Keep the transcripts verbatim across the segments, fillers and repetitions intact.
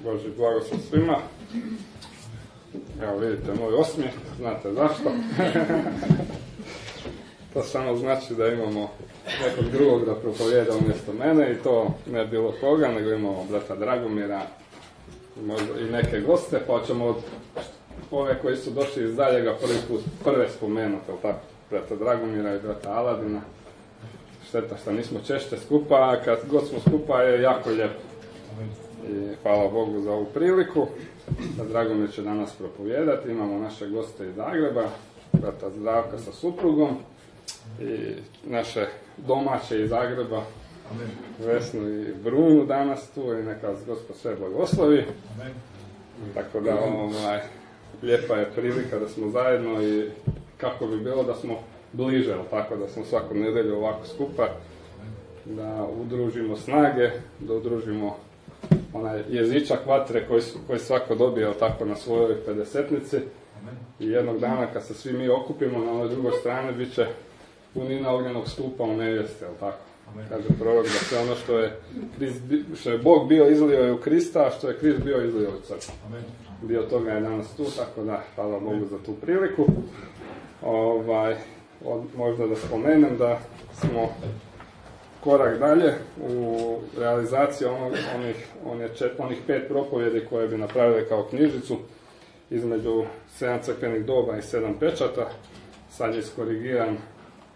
Božji blagoslov svima. Evo vidite moj osmijeh, znate zašto. To samo znači da imamo nekog drugog da propovijeda umjesto mene i to ne bilo koga, nego imamo brata Dragomira možda i neke goste, pa ćemo od ove koji su došli iz daljega prvi put prve spomenuti, ali tako, brata Dragomira i brata Aladina. Šteta što nismo češće skupa, a kad god smo skupa je jako lijepo. I hvala Bogu za ovu priliku. Dragomir će danas propovijedati. Imamo naše goste iz Zagreba, brata Zdravka sa suprugom i naše domaće iz Zagreba, Amen. Vesnu i Brunu danas tu i neka vas Gospod sve blagoslovi. Amen. Tako da ovaj, lijepa je prilika da smo zajedno i kako bi bilo da smo bliže, tako da smo svaku nedjelju ovako skupa, da udružimo snage, da udružimo onaj jezičak vatre koji, koji svako dobije tako na svojoj pedesetnici. I jednog dana kad se svi mi okupimo na ovoj drugoj strani bit će punina ognjenog stupa u nevjesti, jel tako? Amen. Kaže prorok da sve ono što je, Krist, što je Bog bio izlio je u Krista, a što je Krist bio izlio u crkvu. Dio toga je danas tu, tako da hvala Bogu za tu priliku. Ovaj, od, možda da spomenem da smo korak dalje u realizaciji onog, onih, onih, čet, onih pet propovjedi koje bi napravili kao knjižicu između sedam crkvenih doba i sedam pečata. Sad je iskorigiran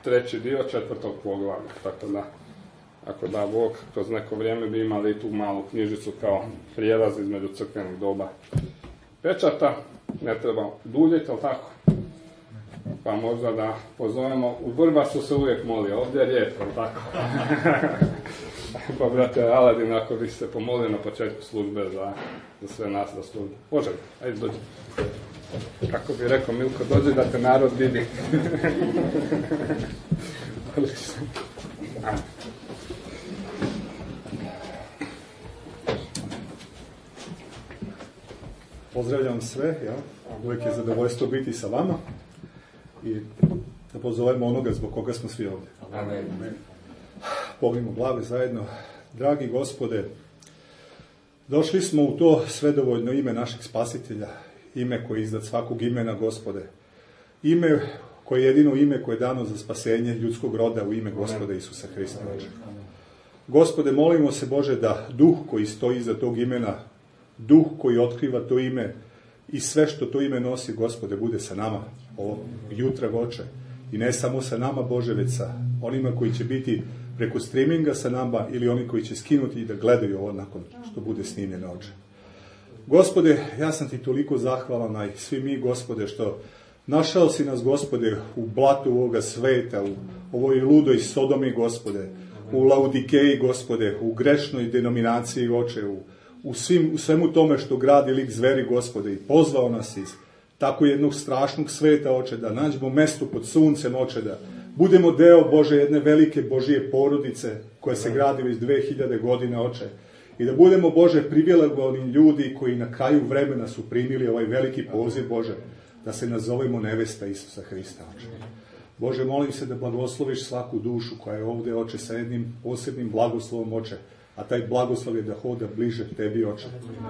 treći dio četvrtog poglavlja, tako da ako da Bog, kroz neko vrijeme bi imali i tu malu knjižicu kao prijelaz između crkvenih doba pečata. Ne treba duljiti, ali tako? Pa možda da pozovemo, u Vrbasu se uvijek moli, ovdje je rijetko, ali tako? Pa brate Aladin, ako bi se pomolio na početku službe za, za sve nas da službe. Može, ajde dođi. Kako bi rekao Milko, dođi da te narod vidi. Pozdravljam sve, ja. Uvijek je zadovoljstvo biti sa vama i da pozovemo onoga zbog koga smo svi ovdje. Amen. Pognimo glave zajedno. Dragi Gospode, došli smo u to svedovoljno ime našeg Spasitelja, ime koje je iznad svakog imena, Gospode. Ime koje je jedino ime koje je dano za spasenje ljudskog roda u ime Gospoda Isusa Hrista. Gospode, molimo se, Bože, da duh koji stoji iza tog imena, duh koji otkriva to ime i sve što to ime nosi, Gospode, bude sa nama ovog jutra, Oče. I ne samo sa nama, Bože, već sa onima koji će biti preko streaminga sa nama ili oni koji će skinuti i da gledaju ovo nakon što bude snimljeno, Oče. Gospode, ja sam ti toliko zahvalan, a i svi mi, Gospode, što našao si nas, Gospode, u blatu ovoga sveta, u ovoj ludoj Sodomi, Gospode, u Laudikeji, Gospode, u grešnoj denominaciji, Oče, u, u, svim, u svemu tome što gradi lik zveri, Gospode, i pozvao nas iz tako jednog strašnog sveta, Oče, da nađemo mesto pod suncem, Oče, da budemo deo, Bože, jedne velike Božije porodice koja se gradi već dve hiljade godina, Oče. I da budemo, Bože, privilegovani ljudi koji na kraju vremena su primili ovaj veliki poziv, Bože, da se nazovemo nevesta Isusa Hrista, Oče. Bože, molim se da blagosloviš svaku dušu koja je ovdje, Oče, sa jednim posebnim blagoslovom, Oče, a taj blagoslov je da hoda bliže tebi, Oče.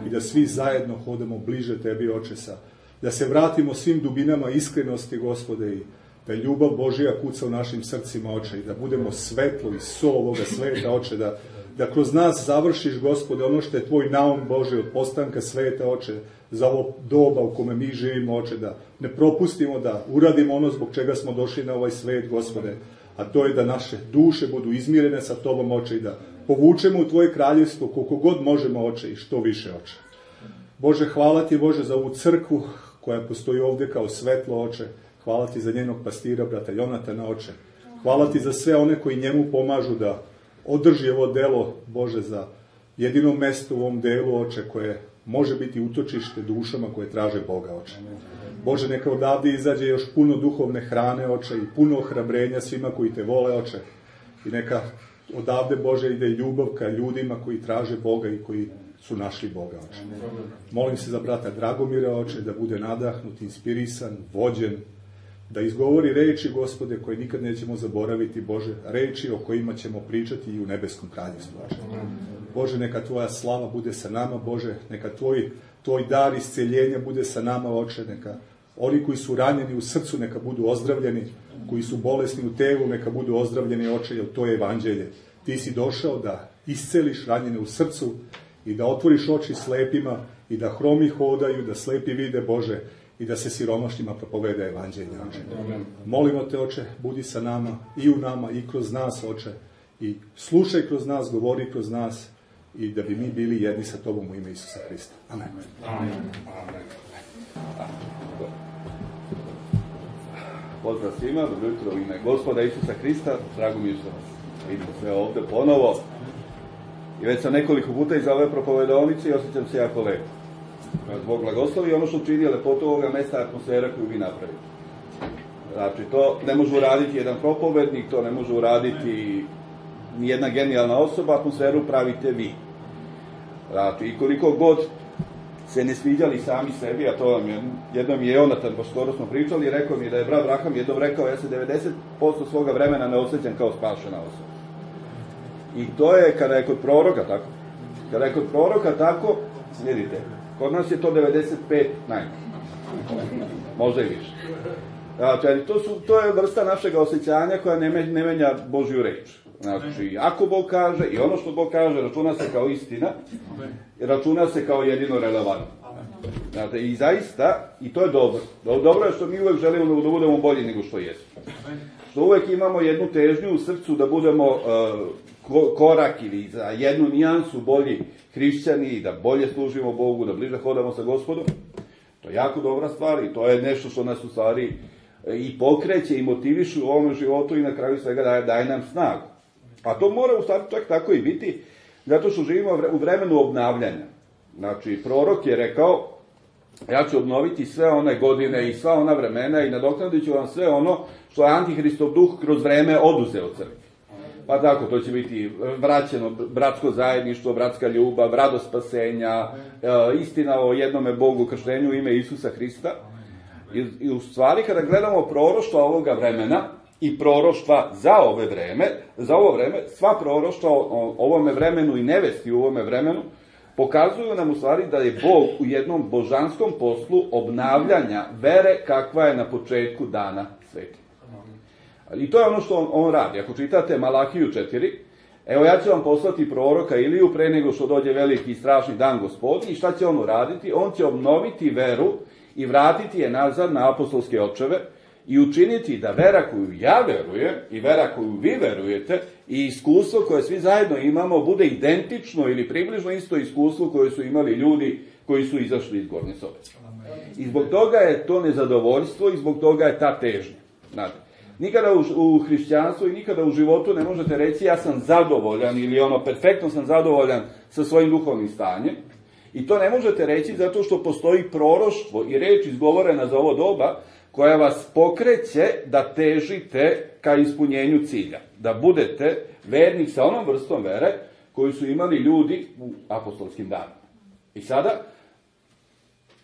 I da svi zajedno hodamo bliže tebi, Oče, sa, da se vratimo svim dubinama iskrenosti, Gospode, i da ljubav Božija kuca u našim srcima, Oče, i da budemo svetlo i sol ovoga sveta, Oče, da da kroz nas završiš, Gospode, ono što je tvoj naum, Bože, od postanka sveta, Oče, za ovo doba u kome mi živimo, Oče, da ne propustimo da uradimo ono zbog čega smo došli na ovaj svet, Gospode, a to je da naše duše budu izmirene sa tobom, Oče, i da povučemo u tvoje kraljevstvo koliko god možemo, Oče, i što više, Oče. Bože, hvala ti, Bože, za ovu crkvu koja postoji ovdje kao svetlo, Oče. Hvala ti za njenog pastira, brata Jonatana, Oče. Hvala ti za sve one koji njemu pomažu da održi ovo delo, Bože, za jedino mesto u ovom delu, Oče, koje može biti utočište dušama koje traže Boga, Oče. Bože, neka odavde izađe još puno duhovne hrane, Oče, i puno ohrabrenja svima koji te vole, Oče. I neka odavde, Bože, ide ljubav ka ljudima koji traže Boga i koji su našli Boga, Oče. Molim se za brata Dragomira, Oče, da bude nadahnut, inspirisan, vođen, da izgovori reči, Gospode, koje nikad nećemo zaboraviti, Bože, reči o kojima ćemo pričati i u nebeskom kraljevstvu, Oče. Bože, neka tvoja slava bude sa nama, Bože, neka tvoj, tvoj dar isceljenja bude sa nama, Oče, neka oni koji su ranjeni u srcu neka budu ozdravljeni, koji su bolesni u telu neka budu ozdravljeni, Oče, jer to je evanđelje. Ti si došao da isceliš ranjene u srcu i da otvoriš oči slepima i da hromi hodaju, da slepi vide, Bože, i da se siromašnjima propoveda evanđelje, Oče. Molimo te, Oče, budi sa nama, i u nama, i kroz nas, Oče, i slušaj kroz nas, govori kroz nas, i da bi mi bili jedni sa tobom u ime Isusa Hrista. Amen. Amen. Amen. Pozdrav svima, dobro jutro u ime Gospoda Isusa Hrista, drago mi je što vas vidimo sve ovde ponovo. I već sam nekoliko puta iz ove propovedovnice i osjećam se jako lepo. Bog blagoslovi ono što čini lepotu ovoga mesta, atmosfera koju vi napravite. Znači, to ne može uraditi jedan propovednik, to ne može uraditi nijedna genijalna osoba, atmosferu pravite vi. Znači, i koliko god se ne sviđali sami sebi, a to vam je, jednom je Jonatan, baš skoro smo pričali, rekao mi da je brat Braham jednom rekao, ja se devedeset posto svoga vremena ne osjećam kao spašena osoba. I to je kada je kod proroka tako. Kada je kod proroka tako, vidite, kod nas je to devedeset pet najmanje. Možda i više. Znači, to, su, to je vrsta našeg osjećanja koja ne, ne menja Božju reč. Znači, ako Bog kaže, i ono što Bog kaže, računa se kao istina, računa se kao jedino relevantno. Znači, i zaista, i to je dobro. Dobro je što mi uvek želimo da budemo bolji nego što jesmo. Što uvek imamo jednu težnju u srcu da budemo uh, korak ili za jednu nijansu bolji hrišćani i da bolje služimo Bogu, da bliže hodamo sa Gospodom. To je jako dobra stvar i to je nešto što nas u stvari i pokreće i motivišu u ovom životu i na kraju svega daje, daje nam snagu. A to mora u stvari čak tako i biti, zato što živimo u vremenu obnavljanja. Znači, prorok je rekao, ja ću obnoviti sve one godine i sva ona vremena i nadoknadit ću vam sve ono što je Antihristov duh kroz vreme oduzeo crkvi. Pa tako, to će biti vraćeno bratsko zajedništvo, bratska ljubav, radost spasenja, istina o jednome Bogu, krštenju u ime Isusa Hrista. I, i u stvari, kada gledamo proroštva ovoga vremena i proroštva za ove vreme, za ovo vreme, sva proroštva o ovome vremenu i nevesti u ovome vremenu, pokazuju nam u stvari da je Bog u jednom božanskom poslu obnavljanja vere kakva je na početku dana sveti. I to je ono što on, on radi. Ako čitate Malahiju četiri, evo ja ću vam poslati proroka Iliju pre nego što dođe veliki i strašni dan Gospodnji, i šta će on uraditi? On će obnoviti veru i vratiti je nazad na apostolske očeve i učiniti da vera koju ja verujem i vera koju vi verujete i iskustvo koje svi zajedno imamo bude identično ili približno isto iskustvo koje su imali ljudi koji su izašli iz Gornje sobe. I zbog toga je to nezadovoljstvo i zbog toga je ta težnja. Znate, nikada u, u hrišćanstvu i nikada u životu ne možete reći ja sam zadovoljan ili ono perfektno sam zadovoljan sa svojim duhovnim stanjem. I to ne možete reći zato što postoji proroštvo i reč izgovorena za ovo doba koja vas pokreće da težite ka ispunjenju cilja. Da budete vernik sa onom vrstom vere koju su imali ljudi u apostolskim danima. I sada,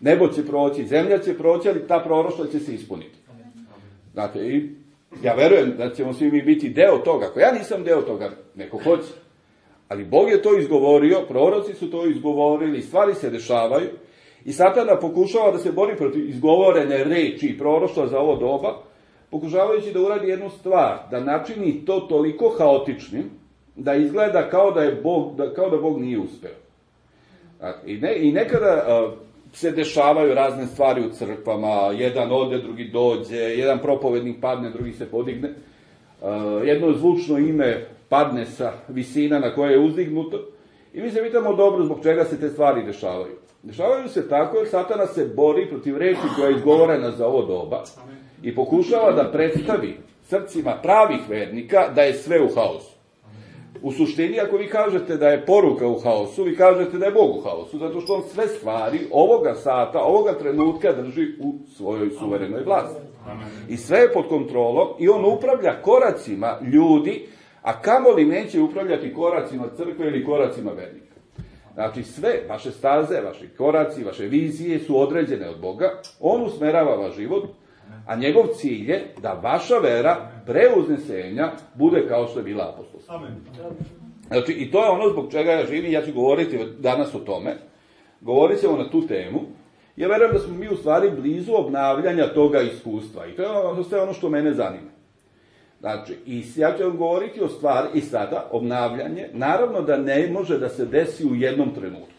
nebo će proći, zemlja će proći, ali ta proroštva će se ispuniti. Znate, i ja verujem da ćemo svi mi biti deo toga. Ako ja nisam deo toga, neko hoće. Ali Bog je to izgovorio, proroci su to izgovorili, stvari se dešavaju i Satana pokušava da se bori protiv izgovorene reči i proroštva za ovo doba, pokušavajući da uradi jednu stvar, da načini to toliko haotičnim, da izgleda kao da, je Bog, da, kao da Bog nije uspeo. I, ne, i nekada a, se dešavaju razne stvari u crkvama, jedan ode, drugi dođe, jedan propovednik padne, drugi se podigne, a, jedno zvučno ime padne sa visina na koje je uzdignuto i mi se pitamo dobro zbog čega se te stvari dešavaju. Dešavaju se tako jer Satana se bori protiv reči koja je izgovorena za ovo doba i pokušava da predstavi srcima pravih vernika da je sve u haosu. U suštini, ako vi kažete da je poruka u haosu, vi kažete da je Bog u haosu, zato što on sve stvari ovoga sata, ovoga trenutka drži u svojoj suverenoj vlasti. I sve je pod kontrolom i on upravlja koracima ljudi, a kamoli neće upravljati koracima crkve ili koracima vernika. Znači sve vaše staze, vaši koraci, vaše vizije su određene od Boga, on usmerava vaš život, a njegov cilj je da vaša vera pre uznesenja bude kao što je bila apostolska. Znači, i to je ono zbog čega ja živim, ja ću govoriti danas o tome, govorit ćemo na tu temu. Ja verujem da smo mi u stvari blizu obnavljanja toga iskustva i to je ono, sve ono što mene zanima. Znači, i ja ću vam govoriti o stvari i sada, obnavljanje, naravno da ne može da se desi u jednom trenutku.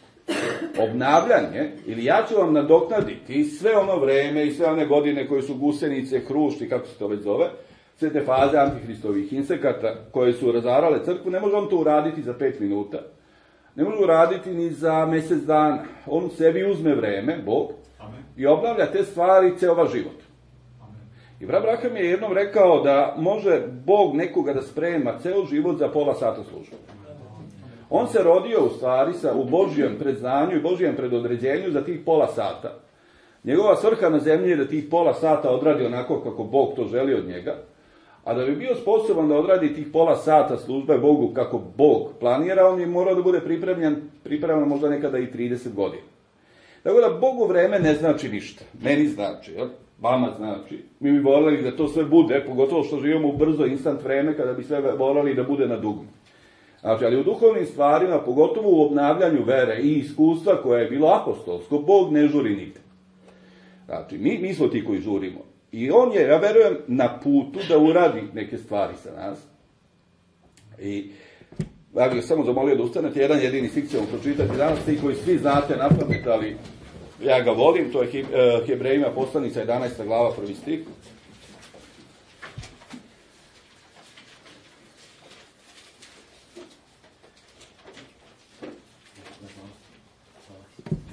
Obnavljanje, ili ja ću vam nadoknaditi sve ono vreme i sve one godine koje su gusenice, hrušti, kako se to već zove, sve te faze antihristovih insekata koje su razarale crkvu, ne može on to uraditi za pet minuta. Ne može uraditi ni za mjesec dana. On sebi uzme vreme, Bog, Amen. I obnavlja te stvari ceo život. Amen. I brat Braham je jednom rekao da može Bog nekoga da sprema ceo život za pola sata službe. On se rodio u stvari sa, u Božijem predznanju i Božijem predodređenju za tih pola sata. Njegova svrha na zemlji je da tih pola sata odradi onako kako Bog to želi od njega, a da bi bio sposoban da odradi tih pola sata službe Bogu kako Bog planira, on je morao da bude pripremljen, pripremljen možda nekada i trideset godina. Tako da Bogu vreme ne znači ništa. Meni znači, jel? Vama znači. Mi bi voleli da to sve bude, pogotovo što živimo u brzo instant vreme, kada bi sve voleli da bude na dugme. Znači, ali u duhovnim stvarima, pogotovo u obnavljanju vere i iskustva koje je bilo apostolsko, Bog ne žuri nigde. Znači, mi, mi smo ti koji žurimo. I on je, ja verujem, na putu da uradi neke stvari sa nas. I ja bih samo zamolio da ustanete, jedan jedini stih ćemo pročitati danas, ti koji svi znate na pamet, ali ja ga volim, to je Hebrejima poslanica jedanaesta glava, prvi stih.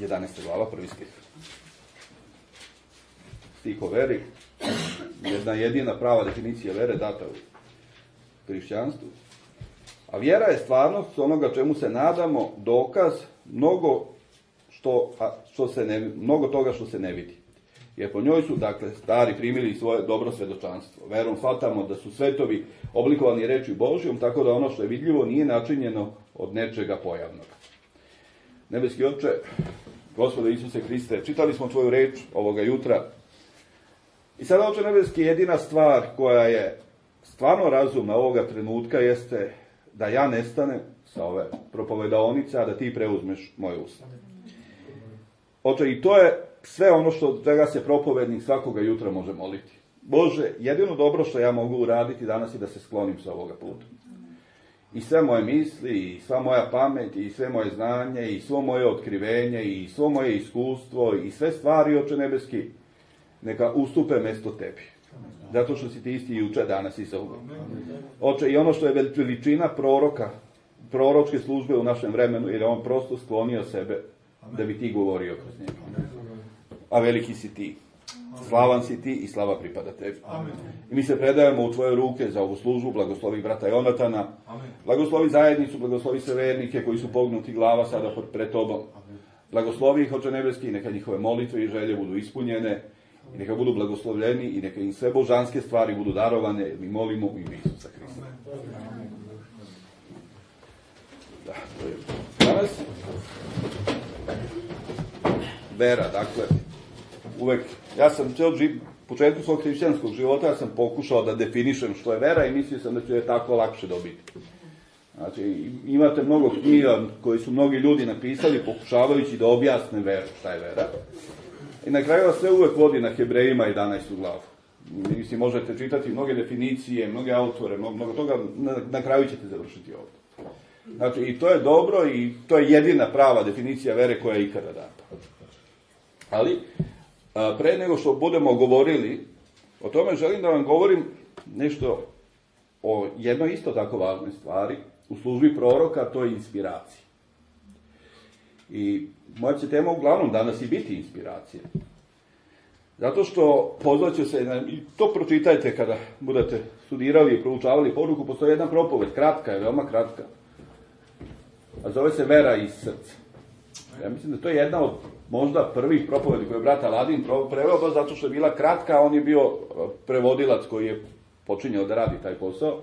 jedanaesta glava, prvi stih. Stih o veri, jedna jedina prava definicija vere data u hrišćanstvu. A vjera je stvarnost onoga čemu se nadamo, dokaz mnogo, što, a, što se ne, mnogo toga što se ne vidi. Jer po njoj su, dakle, stari primili svoje dobro svedočanstvo. Verom shvatamo da su svetovi oblikovani reči Božjom, tako da ono što je vidljivo nije načinjeno od nečega pojavnog. Nebeski Oče, Gospode Isuse Hriste, čitali smo tvoju reč ovoga jutra. I sada, Oče nebeski, jedina stvar koja je stvarno razumna ovoga trenutka jeste da ja nestanem sa ove propovedaonice, a da ti preuzmeš moje usta. Oče, i to je sve ono što čega se propovednik svakoga jutra može moliti. Bože, jedino dobro što ja mogu uraditi danas je da se sklonim sa ovoga puta. I sve moje misli, i sva moja pamet, i sve moje znanje, i svo moje otkrivenje, i svo moje iskustvo, i sve stvari, Oče nebeski, neka ustupe mesto tebi. Zato što si ti isti juče, danas i zauvek. Oče, i ono što je veličina proroka, proročke službe u našem vremenu, jer je on prosto sklonio sebe da bi ti govorio kroz njega. A veliki si ti. Slavan si ti i slava pripada tebi. Amen. I mi se predajemo u tvoje ruke za ovu službu, blagoslovi brata Jonatana, Amen. Blagoslovi zajednicu, blagoslovi sve vernike koji su pognuti glava sada pred tobom. Amen. Blagoslovi ih, Oče nebeski, neka njihove molitve i želje budu ispunjene, i neka budu blagoslovljeni, i neka im sve božanske stvari budu darovane, jer mi molimo u ime Isusa Hrista. Da, to je danas. Vera, dakle, uvek, ja sam ceo živ, početku svog hrišćanskog života, ja sam pokušao da definišem što je vera i mislio sam da ću je tako lakše dobiti. Znači, imate mnogo knjiga koji su mnogi ljudi napisali pokušavajući da objasne veru, šta je vera. I na kraju vas sve uvek vodi na Hebrejima jedanaestu glavu. Mislim, možete čitati mnoge definicije, mnoge autore, mnogo, mnogo toga, na, na kraju ćete završiti ovdje. Znači, i to je dobro i to je jedina prava definicija vere koja je ikada data. Ali, a, pre nego što budemo govorili o tome, želim da vam govorim nešto o jednoj isto tako važnoj stvari u službi proroka, to je inspiracija. I moja će tema uglavnom danas i biti inspiracija. Zato što pozvaću se, na, i to pročitajte kada budete studirali i proučavali poruku, postoji jedna propoved, kratka je, veoma kratka. A zove se Vera iz srca. Ja mislim da to je jedna od možda prvih propovedi koje je brat Aladin preveo, baš zato što je bila kratka, a on je bio prevodilac koji je počinjao da radi taj posao.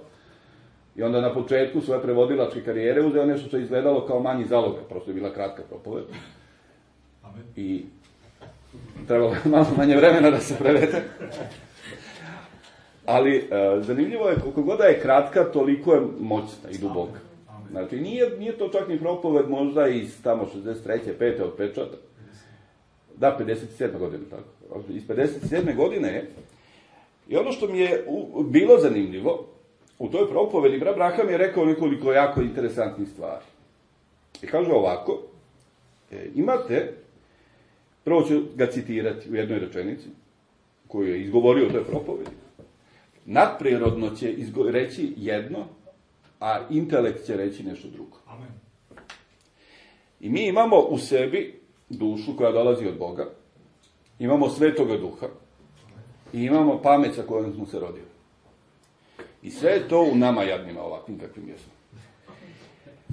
I onda na početku svoje prevodilačke karijere uzeo nešto što je izgledalo kao manji zalogaj, prosto je bila kratka propoved. I trebalo je malo manje vremena da se prevede. Ali e, zanimljivo je, koliko god da je kratka, toliko je moćna i duboka. Znači, nije, nije to čak ni propoved možda iz tamo šezdeset treće, pete od pečata. Da, pedeset sedme godine, tako. Iz pedeset sedme godine je. I ono što mi je u, bilo zanimljivo, u toj propovedi, brat Braham je rekao nekoliko jako interesantnih stvari. I kaže ovako, e, imate, prvo ću ga citirati u jednoj rečenici, koju je izgovorio u toj propovedi. Nadprirodno će izgo- reći jedno, a intelekt će reći nešto drugo. Amen. I mi imamo u sebi dušu koja dolazi od Boga, imamo Svetoga Duha i imamo pamet sa kojom smo se rodili. I sve je to u nama jadnima ovakvim kakvim jesmo.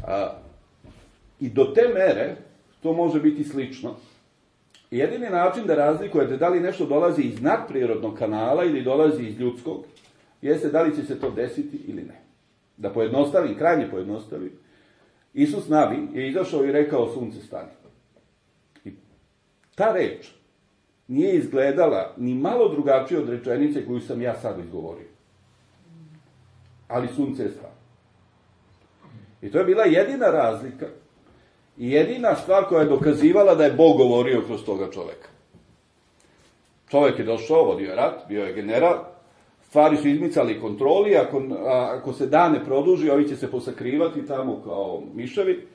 A, I do te mere to može biti slično. I jedini način da razlikujete da li nešto dolazi iz nadprirodnog kanala ili dolazi iz ljudskog, jeste da li će se to desiti ili ne. Da pojednostavim, krajnje pojednostavim, Isus nabi je izašao i rekao sunce stani. I ta reč nije izgledala ni malo drugačije od rečenice koju sam ja sad izgovorio. Ali sunce je stalo. I to je bila jedina razlika i jedina stvar koja je dokazivala da je Bog govorio kroz toga čoveka. Čovek je došao, vodio je rat, bio je general, stvari su izmicali kontroli, ako, ako se dan ne produži, ovi će se posakrivati tamo kao miševi.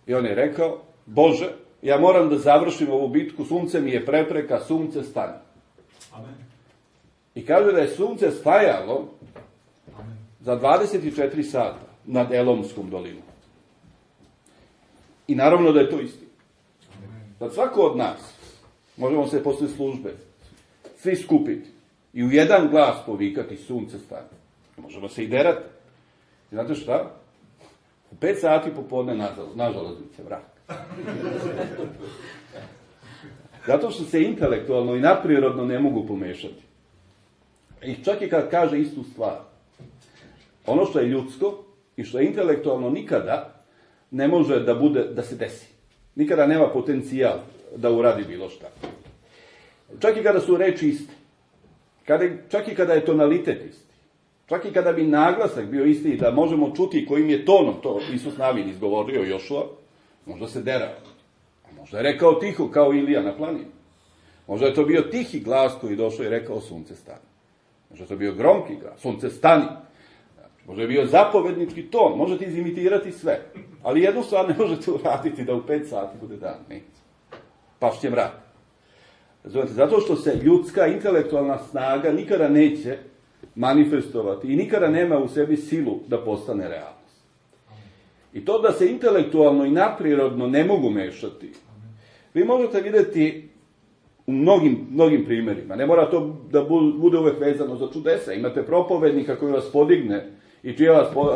I on je rekao, Bože, ja moram da završim ovu bitku, sunce mi je prepreka, sunce stani. Amen. I kaže da je sunce stajalo Amen. za dvadeset četiri sata nad Elomskom dolinom. I naravno da je to istina. Sad svako od nas, možemo se posle službe, svi skupiti i u jedan glas povikati sunce stane. Možemo se i derati. I znate šta? U pet sati popodne na železnice vrak. Zato što se intelektualno i nadprirodno ne mogu pomešati. I čak i kad kaže istu stvar, ono što je ljudsko i što je intelektualno nikada ne može da bude, da se desi. Nikada nema potencijal da uradi bilo šta. Čak i kada su reči iste. Kada, čak i kada je tonalitet isti. Čak i kada bi naglasak bio isti i da možemo čuti kojim je tonom to Isus navin izgovorio Jošua, možda se derao. A možda je rekao tiho kao Ilija na planini. Možda je to bio tihi glas koji došao i rekao sunce stani. Možda je to bio gromki glas, sunce stani. Možda je bio zapovednički ton, možete izimitirati sve. Ali jednu stvar ne možete uraditi da u pet sati bude dan. Ne. Pašće mrak. Razumete, zato što se ljudska intelektualna snaga nikada neće manifestovati i nikada nema u sebi silu da postane realnost. I to da se intelektualno i nadprirodno ne mogu mešati, vi možete vidjeti u mnogim, mnogim primjerima. Ne mora to da bude uvek vezano za čudesa. Imate propovednika koji vas podigne i čije vas po, uh,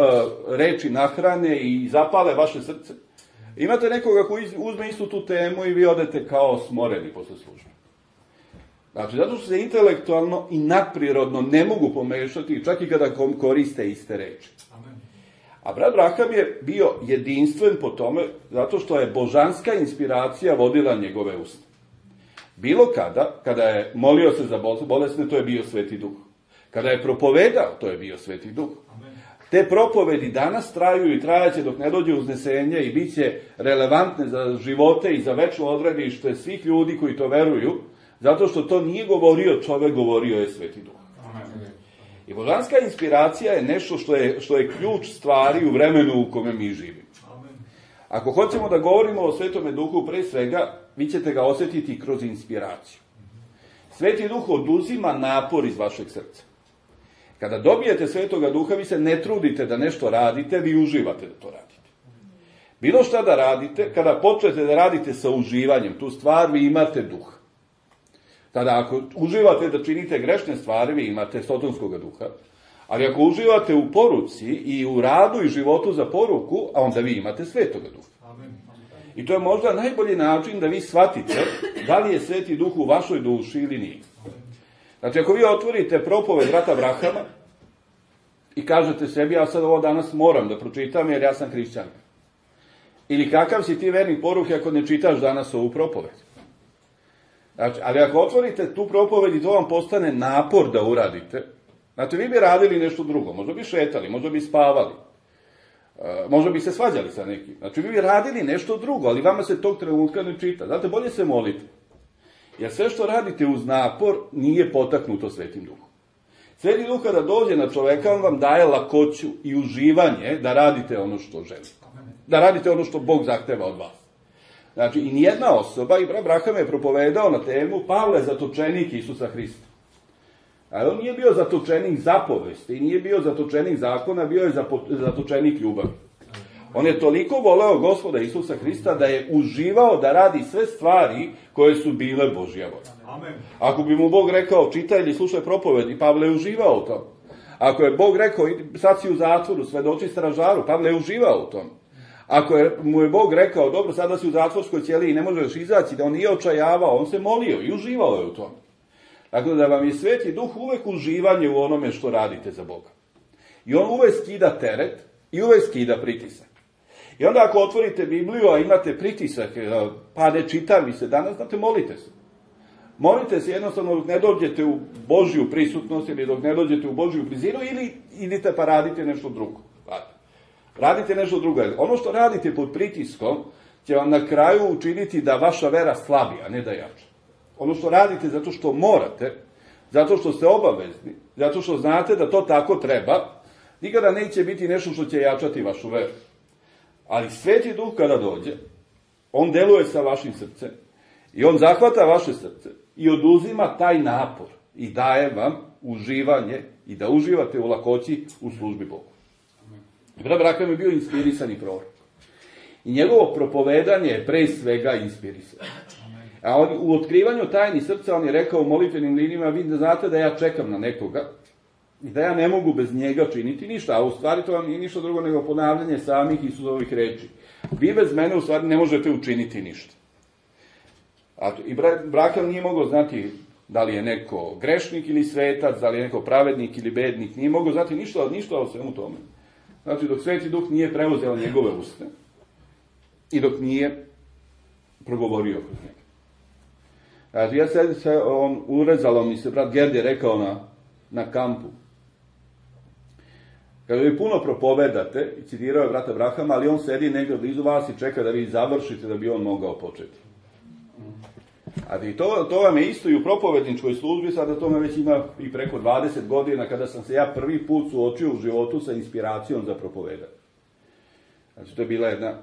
reči nahrane i zapale vaše srce. Imate nekoga koji uzme istu tu temu i vi odete kao smoreni posle službe. Znači, zato što se intelektualno i nadprirodno ne mogu pomešati, čak i kada koriste iste reči. Amen. A brat Braham je bio jedinstven po tome, zato što je božanska inspiracija vodila njegove usta. Bilo kada, kada je molio se za bolesne, to je bio Sveti Duh. Kada je propovedao, to je bio Sveti Duh. Amen. Te propovedi danas traju i trajaće dok ne dođe uznesenje i bit će relevantne za živote i za večno odredište svih ljudi koji to veruju, zato što to nije govorio čovek, govorio je Sveti Duh. Amen. I božanska inspiracija je nešto što je, što je ključ stvari u vremenu u kome mi živimo. Amen. Ako hoćemo da govorimo o Svetome Duhu, pre svega, vi ćete ga osjetiti kroz inspiraciju. Sveti Duh oduzima napor iz vašeg srca. Kada dobijete Svetoga Duha, vi se ne trudite da nešto radite, vi uživate da to radite. Bilo šta da radite, kada počnete da radite sa uživanjem tu stvar, vi imate Duh. Tada ako uživate da činite grešne stvari, vi imate sotonskoga duha. Ali ako uživate u poruci i u radu i životu za poruku, a onda vi imate Svetoga Duha. Amen. I to je možda najbolji način da vi shvatite da li je Sveti Duh u vašoj duši ili nije. Znači, ako vi otvorite propoved brata Brahama i kažete sebi, ja sad ovo danas moram da pročitam jer ja sam hrišćanka. Ili kakav si ti vernik poruke ako ne čitaš danas ovu propoved. Znači, ali ako otvorite tu propoved i to vam postane napor da uradite, znači vi bi radili nešto drugo, možda bi šetali, možda bi spavali, možda bi se svađali sa nekim. Znači, vi bi radili nešto drugo, ali vama se tog trenutka ne čita. Znate, bolje se molite. Jer sve što radite uz napor nije potaknuto Svetim Duhom. Sveti Duh kada dođe na čoveka, on vam daje lakoću i uživanje da radite ono što želite. Da radite ono što Bog zahteva od vas. Znači, i nijedna osoba, i brat Braham je propovedao na temu Pavle zatočenik Isusa Hrista. Ali on nije bio zatočenik zapovesti, nije bio zatočenik zakona, bio je zatočenik ljubavi. On je toliko voleo Gospoda Isusa Hrista da je uživao da radi sve stvari koje su bile Božja volja. Ako bi mu Bog rekao čitaj ili slušaj propovedi, Pavle je uživao u tom. Ako je Bog rekao sad si u zatvoru, svedoči stražaru, Pavle je uživao u tom. Ako je, mu je Bog rekao dobro sada si u zatvorskoj ćeliji i ne možeš izaći, da on nije očajavao, on se molio i uživao je u tom. Dakle, da vam je Sveti Duh uvek uživanje u onome što radite za Boga. I on uvek skida teret i uvek skida pritisak. I onda ako otvorite Bibliju, a imate pritisak, pa ne čita mi se danas, znate, molite se. Molite se jednostavno dok ne dođete u Božju prisutnost ili dok ne dođete u Božju blizinu ili idite pa radite nešto drugo. Radite nešto drugo. Ono što radite pod pritiskom će vam na kraju učiniti da vaša vera slabi, a ne da jača. Ono što radite zato što morate, zato što ste obavezni, zato što znate da to tako treba, nikada neće biti nešto što će jačati vašu veru. Ali Sveti Duh kada dođe, on deluje sa vašim srcem i on zahvata vaše srce i oduzima taj napor i daje vam uživanje i da uživate u lakoći u službi Bogu. Brat Braham je bio inspirisani prorok. I njegovo propovedanje je pre svega inspirisano. A on, u otkrivanju tajni srca on je rekao u molitvenim linijima, vi da znate da ja čekam na nekoga i da ja ne mogu bez njega činiti ništa, a u stvari to vam nije ništa drugo nego ponavljanje samih Isusovih reči. Vi bez mene u stvari ne možete učiniti ništa. A to, i Braham nije mogao znati da li je neko grešnik ili svetac, da li je neko pravednik ili bednik, nije mogao znati ništa, ništa o svemu tome. Znači, dok Sveti Duh nije preuzeo njegove uste i dok nije progovorio kroz njega. Znači, ja se, se on, urezalo mi se, brat Gerd je rekao na, na kampu. Kada vi puno propovedate, i citirao je brata Brahama, ali on sedi negdje blizu vas i čeka da vi završite da bi on mogao početi. A i to, to vam je isto i u propovedničkoj službi, sada to me već ima i preko dvadeset godina, kada sam se ja prvi put suočio u životu sa inspiracijom za propovedanje. Znači, to je bila jedna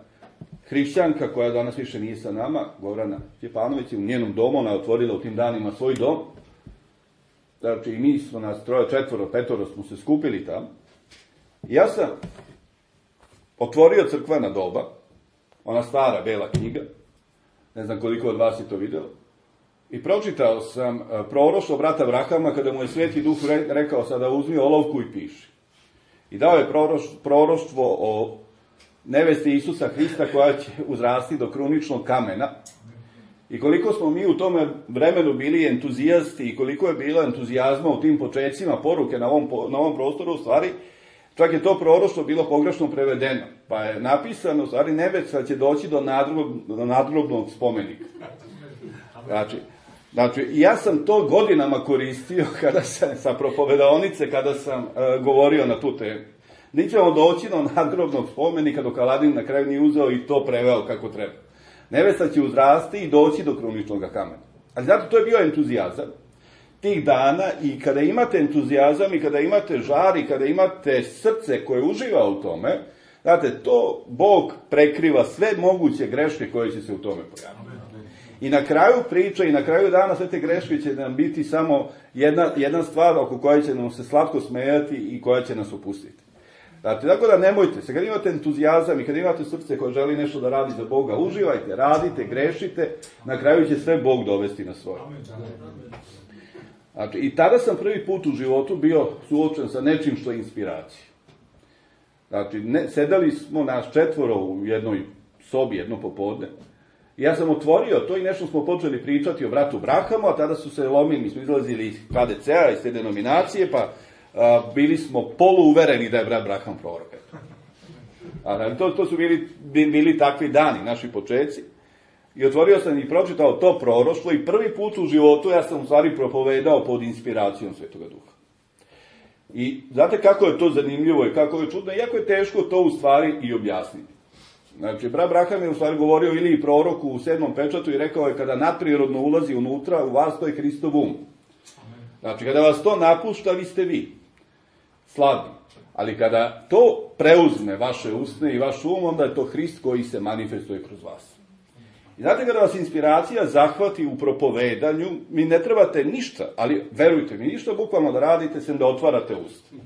hrišćanka koja danas više nije sa nama, Gorana Stjepanović, u njenom domu, ona je otvorila u tim danima svoj dom. Znači, i mi smo nas troje, četvoro, petoro smo se skupili tamo. I ja sam otvorio crkvena doba, ona stara bela knjiga, ne znam koliko od vas je to vidjelo, i pročitao sam proroštvo brata Brahama kada mu je Sveti Duh rekao sada uzmi olovku i piši. I dao je proroštvo o nevesti Isusa Hrista koja će uzrasti do kruničnog kamena. I koliko smo mi u tome vremenu bili entuzijasti i koliko je bilo entuzijazma u tim počecima poruke na ovom, na ovom prostoru, u stvari, čak je to proroštvo bilo pogrešno prevedeno. Pa je napisano, u stvari, nevesta će doći do, nadgrob, do nadgrobnog spomenika. Znači, znači, ja sam to godinama koristio kada sam, sa propovedaonice, kada sam uh, govorio na tu temu. Nećemo doći do nadgrobnog spomenika dok Aladin na kraju nije uzeo i to preveo kako treba. Nevesta će uzrasti i doći do kruničnog kamena. Ali zato to je bio entuzijazam tih dana i kada imate entuzijazam i kada imate žar i kada imate srce koje uživa u tome, znate, to Bog prekriva sve moguće greške koje će se u tome pojaviti. I na kraju priče i na kraju dana sve te greške će nam biti samo jedna, jedna stvar oko koje će nam se slatko smejati i koja će nas opustiti. Znači, tako da nemojte se, kad imate entuzijazam i kad imate srce koje želi nešto da radi za Boga, uživajte, radite, grešite, na kraju će sve Bog dovesti na svoje. Znači, i tada sam prvi put u životu bio suočen sa nečim što je inspiracija. Znači, ne, sedali smo nas četvoro u jednoj sobi, jedno popodne. I ja sam otvorio to i nešto smo počeli pričati o bratu Brahamu, a tada su se lomili, mi smo izlazili iz K D C-a, iz te denominacije, pa a, bili smo poluuvereni da je brat Braham prorok. A, to, to su bili, bili takvi dani, naši počeci. I otvorio sam i pročitao to proroštvo i prvi put u životu ja sam u stvari propovedao pod inspiracijom Svetoga Duha. I znate kako je to zanimljivo i kako je čudno, iako je teško to u stvari i objasniti. Znači, brat Braham je u stvari govorio Iliji proroku u sedmom pečatu i rekao je kada nadprirodno ulazi unutra, u vas to je Hristov um. Znači, kada vas to napušta, vi ste vi. Slabi. Ali kada to preuzme vaše usne i vaš um, onda je to Hrist koji se manifestuje kroz vas. I znate, kada vas inspiracija zahvati u propovedanju, mi ne trebate ništa, ali verujte mi, ništa bukvalno da radite, sem da otvarate usta.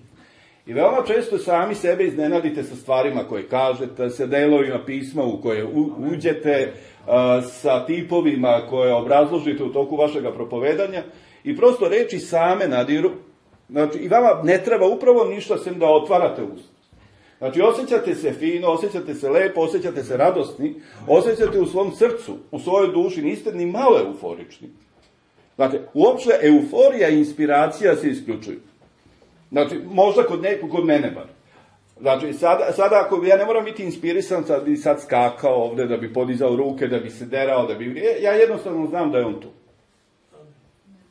I veoma često sami sebe iznenadite sa stvarima koje kažete, sa delovima pisma u koje uđete, sa tipovima koje obrazložite u toku vašega propovedanja i prosto reči same nadiru. Znači, i vama ne treba upravo ništa sem da otvarate usta. Znači, osjećate se fino, osjećate se lepo, osjećate se radosni, osjećate u svom srcu, u svojoj duši, niste ni malo euforični. Znači, uopšte euforija i inspiracija se isključuju. Znači, možda kod, ne, kod mene bar. Znači, sada, sada ako ja ne moram biti inspirisan, sad bi sad skakao ovde, da bi podizao ruke, da bi se derao, da bi... Ja jednostavno znam da je on tu.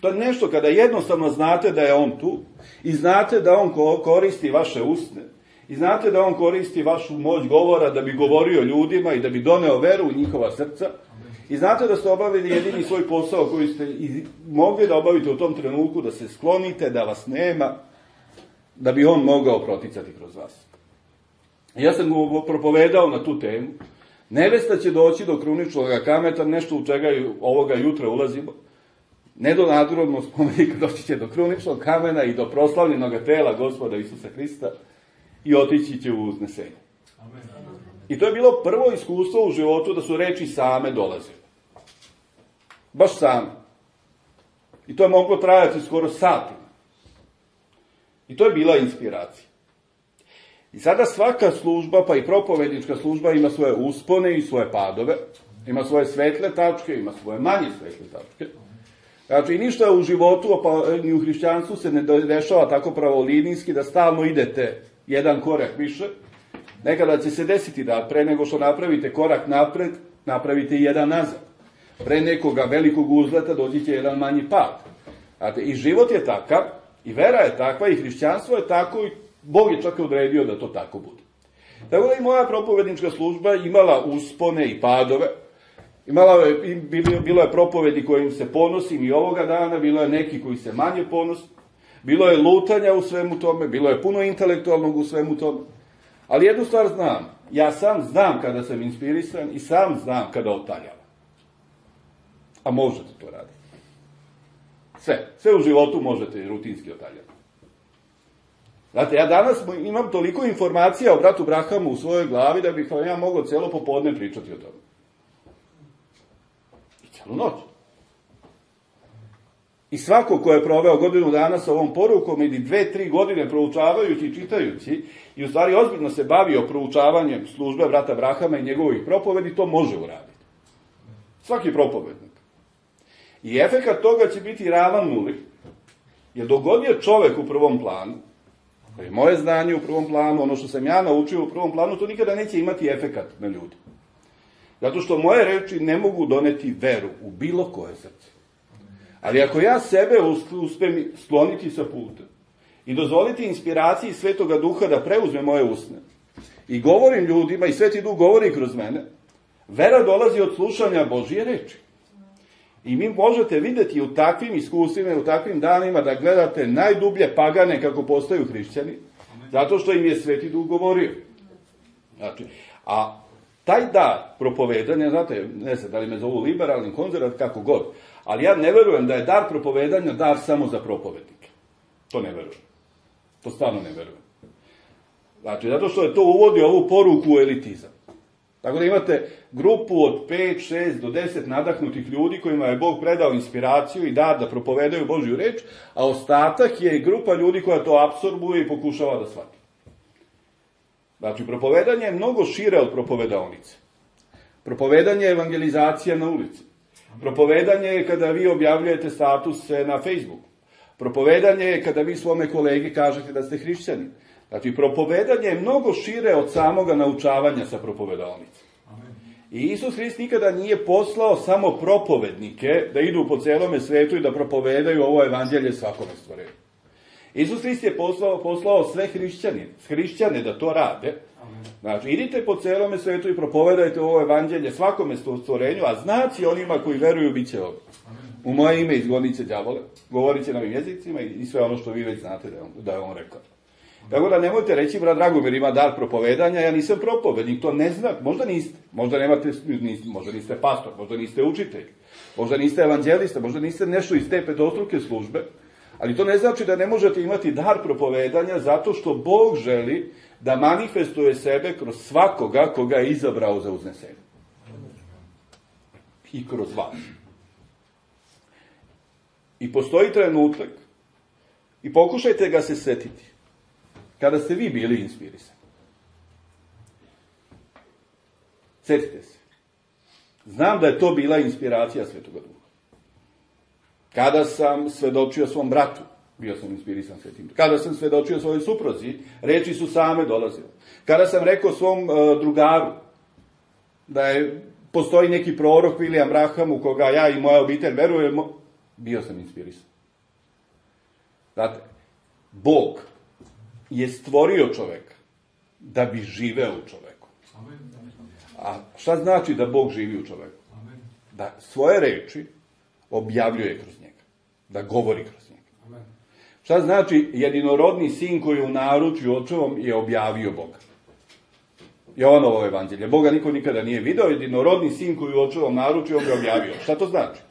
To je nešto kada jednostavno znate da je on tu i znate da on koristi vaše usne i znate da on koristi vašu moć govora da bi govorio ljudima i da bi doneo veru u njihova srca i znate da ste obavili jedini svoj posao koji ste mogli da obavite u tom trenutku, da se sklonite, da vas nema, da bi on mogao proticati kroz vas. Ja sam go propovedao na tu temu. Nevesta će doći do kruničnog kameta, nešto u čega ovoga jutra ulazimo. Ne do nadrodnog spomenika, doći će do kruničnog kamena i do proslavljenog tela Gospoda Isusa Hrista i otići će u uznesenje. Amen. I to je bilo prvo iskustvo u životu da su reči same dolazile. Baš same. I to je moglo trajati skoro satima. I to je bila inspiracija. I sada svaka služba, pa i propovednička služba, ima svoje uspone i svoje padove, ima svoje svetle tačke, ima svoje manje svetle tačke. Znači, ništa u životu, pa ni u hrišćanstvu se ne dešava tako pravolinijski da stalno idete jedan korak više. Nekada će se desiti da pre nego što napravite korak napred, napravite i jedan nazad. Pre nekoga velikog uzleta dođi će jedan manji pad. Znači, i život je takav, i vera je takva, i hrišćanstvo je tako, i Bog je čak odredio da to tako bude. Tako da i moja propovednička služba imala uspone i padove. Imala je, bilo je propovedi kojim se ponosim i ovoga dana, bilo je neki koji se manje ponosi, bilo je lutanja u svemu tome, bilo je puno intelektualnog u svemu tome. Ali jednu stvar znam, ja sam znam kada sam inspirisan i sam znam kada otaljavam. A možete to raditi. Sve, sve u životu možete rutinski otaljati. Znate, ja danas imam toliko informacija o bratu Brahamu u svojoj glavi da bih ja mogao celo popodne pričati o tome. Cijelu noć. I svako ko je proveo godinu dana sa ovom porukom ili dve, tri godine proučavajući i čitajući i u stvari ozbiljno se bavio proučavanjem službe brata Brahama i njegovih propovedi, to može uraditi. Svaki propovednik. I efekat toga će biti ravan nuli. Jer dok god je čovek u prvom planu, to je moje znanje u prvom planu, ono što sam ja naučio u prvom planu, to nikada neće imati efekat na ljudi. Zato što moje reči ne mogu doneti veru u bilo koje srce. Ali ako ja sebe uspem skloniti sa puta i dozvoliti inspiraciji Svetoga Duha da preuzme moje usne i govorim ljudima i Sveti Duh govori kroz mene, vera dolazi od slušanja Božije reči. I mi možete videti u takvim iskustvima, u takvim danima da gledate najdublje pagane kako postaju hrišćani, zato što im je Sveti Duh govorio. Znači, a taj dar propovedanja, znate, ne znam da li me zovu liberalni, konzervat, kako god, ali ja ne verujem da je dar propovedanja dar samo za propovednike. To ne verujem. To stvarno ne verujem. Znači, zato što je to uvodi ovu poruku u elitizam. Tako da imate grupu od pet, šest do deset nadahnutih ljudi kojima je Bog predao inspiraciju i dar da propovedaju Božju reč, a ostatak je grupa ljudi koja to apsorbuje i pokušava da shvati. Znači, propovedanje je mnogo šire od propovedaonice. Propovedanje je evangelizacija na ulici. Propovedanje je kada vi objavljujete statuse na Facebooku. Propovedanje je kada vi svome kolegi kažete da ste hrišćani. Znači, propovedanje je mnogo šire od samoga naučavanja sa propovedaonice. I Isus Hrist nikada nije poslao samo propovednike da idu po celome svetu i da propovedaju ovo evanđelje svakome stvorenju. Isus Hrist je poslao, poslao sve hrišćane, hrišćane da to rade. Znači, idite po celome svetu i propovedajte ovo evanđelje svakome stvorenju, a znaci onima koji veruju bit će ovdje. U moje ime izgonit će đavole, govorit će novim jezicima i sve ono što vi već znate da je on, da je on rekao. Tako da nemojte reći, brat Dragomir ima dar propovedanja, ja nisam propovednik, to ne znam, možda niste, možda nemate, niste, možda niste pastor, možda niste učitelj, možda niste evanđelista, možda niste nešto iz te petostruke službe, ali to ne znači da ne možete imati dar propovedanja zato što Bog želi da manifestuje sebe kroz svakoga koga je izabrao za uznesenje. I kroz vas. I postoji trenutak, i pokušajte ga se setiti, kada ste vi bili inspirisani. Setite se. Znam da je to bila inspiracija Svetoga Duha. Kada sam svedočio svom bratu, bio sam inspirisan Svetim Duhom. Kada sam svedočio svojoj supruzi, reči su same dolazile. Kada sam rekao svom uh, drugaru da je, postoji neki prorok William Branham u koga ja i moja obitelj verujemo, bio sam inspirisan. Znate, Bog je stvorio čoveka da bi živeo u čoveku. A šta znači da Bog živi u čoveku? Da svoje reči objavljuje kroz njega. Da govori kroz njega. Šta znači jedinorodni sin koji u naručju očevom je objavio Boga? Jovanovo evanđelje. Boga niko nikada nije video, jedinorodni sin koji u očevom naručju on ga objavio. Šta to znači?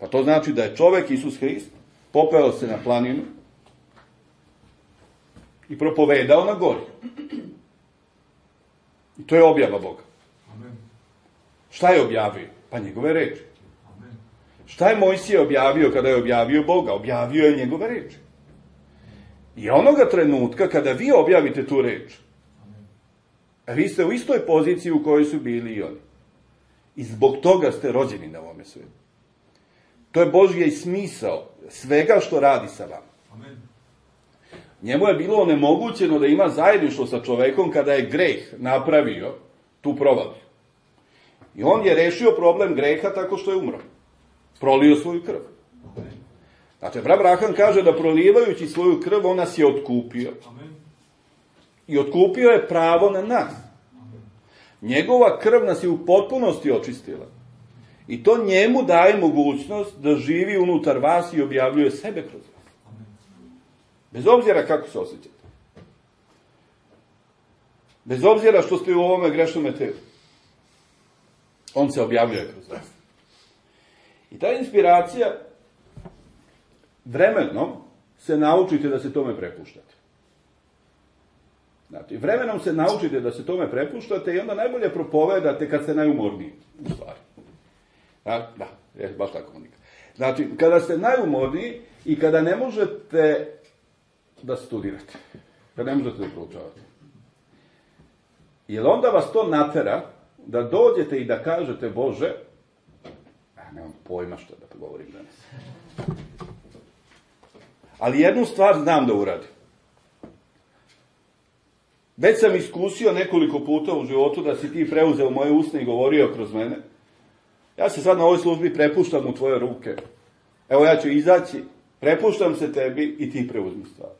Pa to znači da je čovek, Isus Hrist, popeo se na planinu i propovedao na gori. I to je objava Boga. Amen. Šta je objavio? Pa njegove reči. Amen. Šta je Mojsije objavio kada je objavio Boga? Objavio je njegove reči. I onoga trenutka kada vi objavite tu reč, a vi ste u istoj poziciji u kojoj su bili i oni. I zbog toga ste rođeni na ovome svijetu. To je Božji smisao svega što radi sa vama. Amen. Njemu je bilo onemogućeno da ima zajedništvo sa čovekom kada je greh napravio tu provaliju. I on je rešio problem greha tako što je umro. Prolio svoju krv. Znači, brat Branham kaže da prolivajući svoju krv, on nas je otkupio. I otkupio je pravo na nas. Njegova krv nas je u potpunosti očistila. I to njemu daje mogućnost da živi unutar vas i objavljuje sebe kroz vas. Bez obzira kako se osjećate. Bez obzira što ste u ovome grešnome telu. On se objavljuje kroz vas. I ta inspiracija, vremenom se naučite da se tome prepuštate. Znači, vremenom se naučite da se tome prepuštate i onda najbolje propovedate kad ste najumorniji, u stvari. Da, da, je baš tako unika. Znači, kada ste najumorniji i kada ne možete da studirate, kada ne možete da proučavate. Jer onda vas to natera da dođete i da kažete, Bože, a nemam pojma što da govorim danas. Ali jednu stvar znam da uradim. Već sam iskusio nekoliko puta u životu da si ti preuzeo moje usne i govorio kroz mene. Ja se sad na ovoj službi prepuštam u tvoje ruke. Evo ja ću izaći, prepuštam se tebi i ti preuzmi stvar.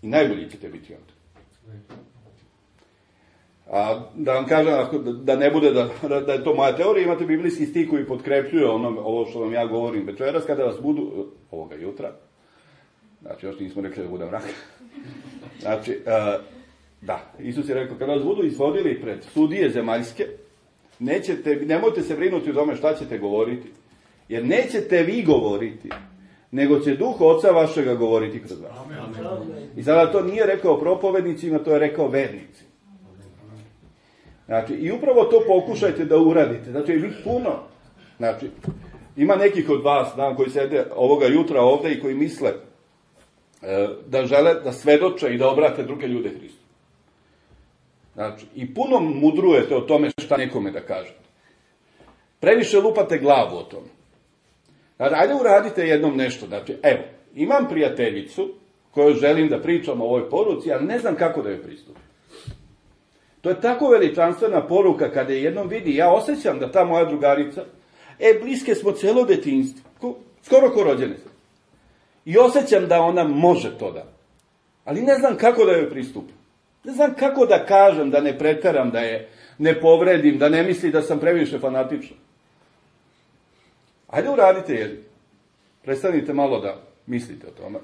I najbolji ćete biti onda. A da vam kažem, da ne bude da, da je to moja teorija, imate biblijski stih koji potkrepljuje ono, ovo što vam ja govorim večeras, kada vas budu, ovoga jutra, znači još nismo rekli da bude mrak, znači, uh, da, Isus je rekao, kada vas budu izvodili pred sudije zemaljske, nećete, nemojte se brinuti o tome šta ćete govoriti, jer nećete vi govoriti, nego će Duh Oca vašega govoriti kroz vas. Amen. I sada to nije rekao propovednicima, to je rekao vernicima. Znači, i upravo to pokušajte da uradite. Znači, vi puno, znači, ima nekih od vas, znam, koji sede ovoga jutra ovde i koji misle e, da žele da svedoče i da obrate druge ljude Hristu. Znači, i puno mudrujete o tome šta nekome da kažete. Previše lupate glavu o tome. Znači, ajde uradite jednom nešto. Znači, evo, imam prijateljicu koju želim da pričam o ovoj poruci, ali ne znam kako da joj pristupim. To je tako veličanstvena poruka kada je jednom vidi, ja osjećam da ta moja drugarica, e, bliske smo celo detinjstvo, skoro ko rođene. I osjećam da ona može to da. Ali ne znam kako da joj pristupim. Ne znam kako da kažem, da ne preteram, da je ne povredim, da ne misli da sam previše fanatičan. Ajde uradite jedno. Prestanite malo da mislite o tome.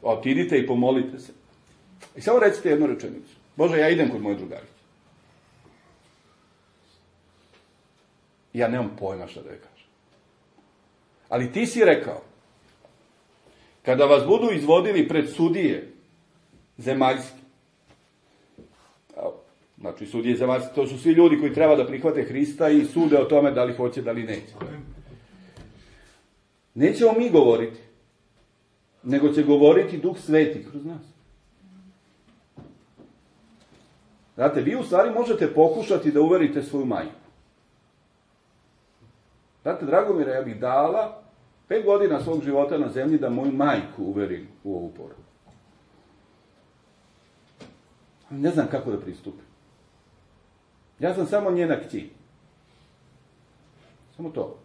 Otidite i pomolite se. I samo recite jednu rečenicu. Bože, ja idem kod moje drugarice. Ja nemam pojma šta da je kažem. Ali ti si rekao, kada vas budu izvodili pred sudije zemaljske, znači sudije zemaljske, to su svi ljudi koji treba da prihvate Hrista i sude o tome da li hoće, da li neće. Nećemo mi govoriti, nego će govoriti Duh Sveti kroz nas. Znate, vi u stvari možete pokušati da uverite svoju majku. Znate, Dragomira, ja bih dala pet godina svog života na zemlji da moju majku uverim u ovu poruku. Ne znam kako da pristupim. Ja sam samo njena kći. Samo to.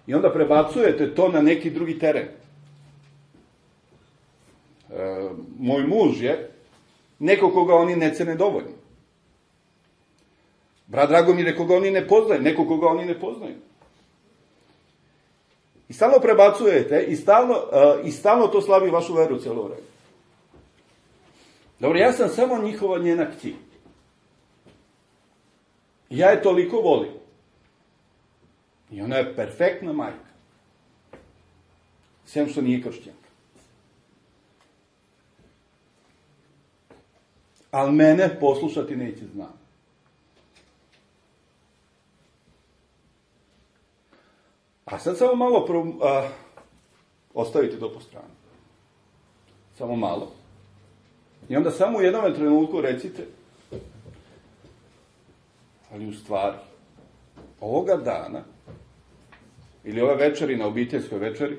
I onda prebacujete to na neki drugi teren. E, moj muž je neko koga oni ne cene dovoljno. Brat Dragomir je koga oni ne poznaju, neko koga oni ne poznaju. I stalno prebacujete i stalno, uh, i stalno to slabi vašu veru cijelo vreme. Dobro, ja sam samo njihova njena kći. Ja je toliko volim. I ona je perfektna majka. Sem što nije kršćanka. Ali mene poslušati neće znam. A sad samo malo pro, a, ostavite to po strani. Samo malo. I onda samo u jednom trenutku recite, ali u stvari, ovoga dana, ili ove večeri na obiteljskoj večeri,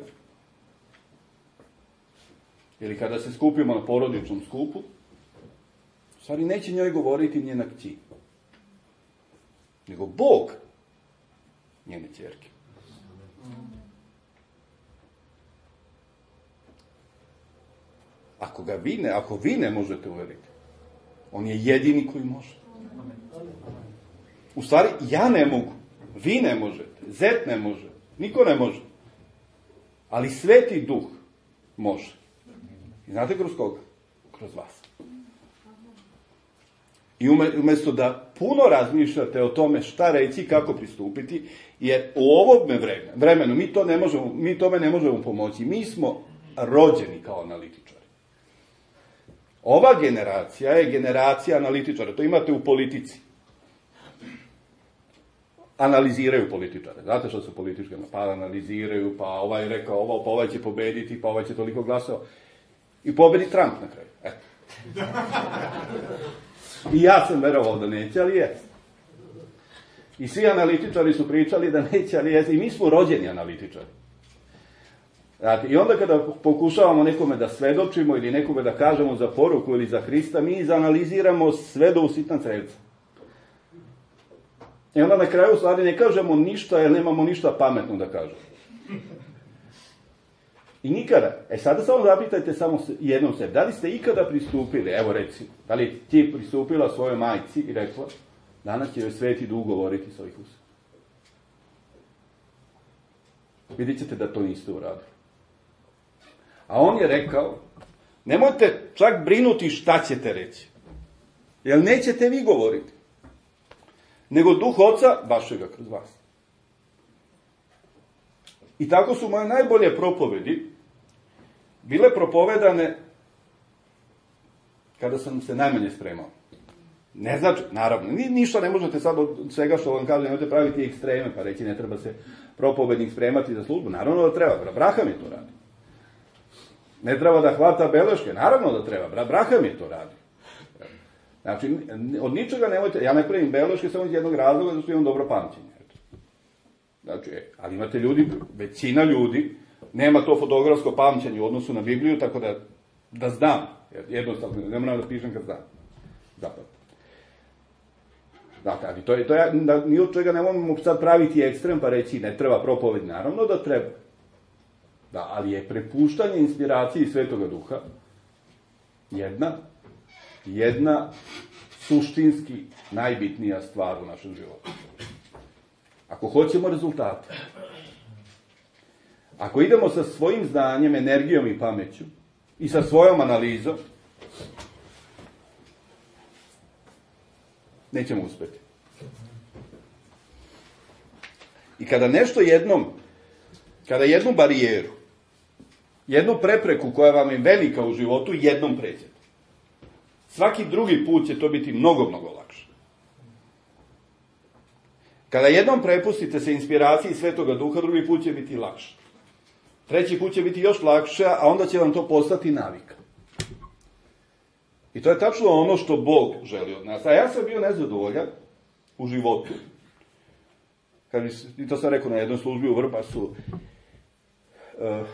ili kada se skupimo na porodičnom skupu, u stvari neće njoj govoriti njena kći, nego Bog njene ćerke. Ako ga vi ne, ako vi ne možete uveriti, on je jedini koji može. U stvari, ja ne mogu, vi ne možete, zet ne može, niko ne može. Ali Sveti Duh može. I znate kroz koga? Kroz vas. I umjesto da puno razmišljate o tome šta reći, kako pristupiti, jer u ovom vremenu mi, to ne možemo, mi tome ne možemo pomoći. Mi smo rođeni kao analitičari. Ova generacija je generacija analitičara. To imate u politici. Analiziraju političare. Znate što su političke? Pa analiziraju, pa ovaj rekao ovo, pa ovaj će pobediti, pa ovaj će toliko glasova. I pobedi Trump na kraju. Eto. I ja sam verovao da neće, ali jest. I svi analitičari su pričali da neće, ali jest. I mi smo rođeni analitičari. Znate, i onda kada pokušavamo nekome da svedočimo ili nekome da kažemo za poruku ili za Hrista, mi izanaliziramo sve do usitna crevca. I onda na kraju stvari ne kažemo ništa jer nemamo ništa pametno da kažemo. I nikada, e sada samo zapitajte samo jednom sebi, da li ste ikada pristupili, evo recimo, da li ti pristupila svojoj majci i rekla, danas će joj Sveti Duh govoriti s ovih usta. Vidjet ćete da to niste uradili. A on je rekao, nemojte čak brinuti šta ćete reći, jer nećete vi govoriti, nego Duh Oca vašega kroz vas. I tako su moje najbolje propovedi bile propovedane kada sam se najmanje spremao. Ne znači, naravno, ni, ništa ne možete sad od svega što vam kažem, nemojte praviti ekstreme, pa reći ne treba se propovednik spremati za službu. Naravno da treba, brat Braham je to radi. Ne treba da hvata beleške, naravno da treba, brat Braham je to radi. Znači, od ničega nemojte, ja ne pravim beleške samo iz jednog razloga, zato što imam dobro pamćenje. Znači, ali imate ljudi, većina ljudi, nema to fotografsko pamćenje u odnosu na Bibliju, tako da, da znam, jednostavno, ne moram da pišem kad znam. Zapravo. Dakle, ali to je, to je, da, ni od čega ne možemo sad praviti ekstrem pa reći ne treba propoved, naravno da treba. Da, ali je prepuštanje inspiraciji Svetoga Duha jedna, jedna suštinski najbitnija stvar u našem životu. Ako hoćemo rezultate, ako idemo sa svojim znanjem, energijom i pameću i sa svojom analizom, nećemo uspjeti. I kada nešto jednom, kada jednu barijeru, jednu prepreku koja vam je velika u životu, jednom pređete, svaki drugi put će to biti mnogo, mnogo lakše. Kada jednom prepustite se inspiraciji Svetoga Duha, drugi put će biti lakše. Treći put će biti još lakše, a onda će vam to postati navika. I to je tačno ono što Bog želi od nas. A ja sam bio nezadovoljan u životu. Kad mi, i to sam rekao na jednoj službi u Vrbasu, uh,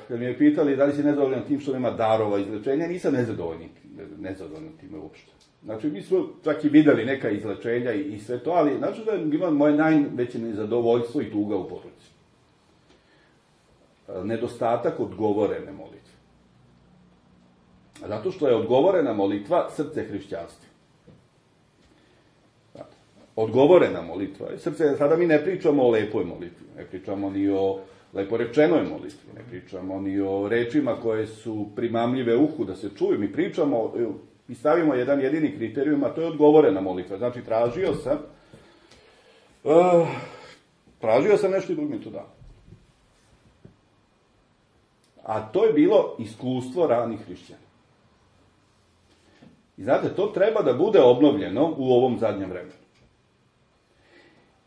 kad mi je pitali da li si nezadovoljan tim što nema darova izlečenja, nisam nezadovoljan, nezadovoljan time uopšte. Znači, mi smo čak i videli neka izlečenja i, i sve to, ali znači da ima moje najveće nezadovoljstvo i tuga u poruci. Uh, nedostatak odgovorene molitve. Zato što je odgovorena molitva srce hrišćanstva. Odgovorena molitva. Srce, sada mi ne pričamo o lepoj molitvi, ne pričamo ni o leporečenoj molitvi, ne pričamo ni o rečima koje su primamljive uhu da se čuju. Mi pričamo i stavimo jedan jedini kriterijum, a to je odgovorena molitva. Znači, tražio sam, uh, tražio sam nešto i Bog mi to dao. A to je bilo iskustvo ranih hrišćana. I znate, to treba da bude obnovljeno u ovom zadnjem vremenu.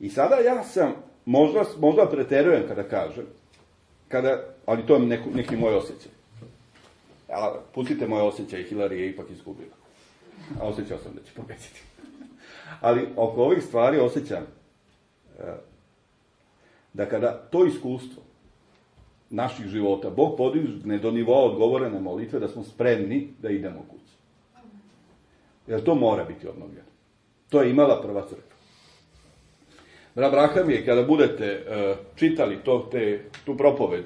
I sada ja sam, možda, možda preterujem kada kažem, kada, ali to je neko, neki moj osjećaj. Ali pustite moje osjećaj, Hillary je ipak izgubila. A osjećao sam da će pobediti. Ali oko ovih stvari osjećam da kada to iskustvo naših života Bog podigne do nivoa odgovorene molitve, da smo spremni da idemo kući. Jer to mora biti obnovljeno. To je imala prva crkva. Brat Braham je, kada budete uh, čitali to, te, tu propoved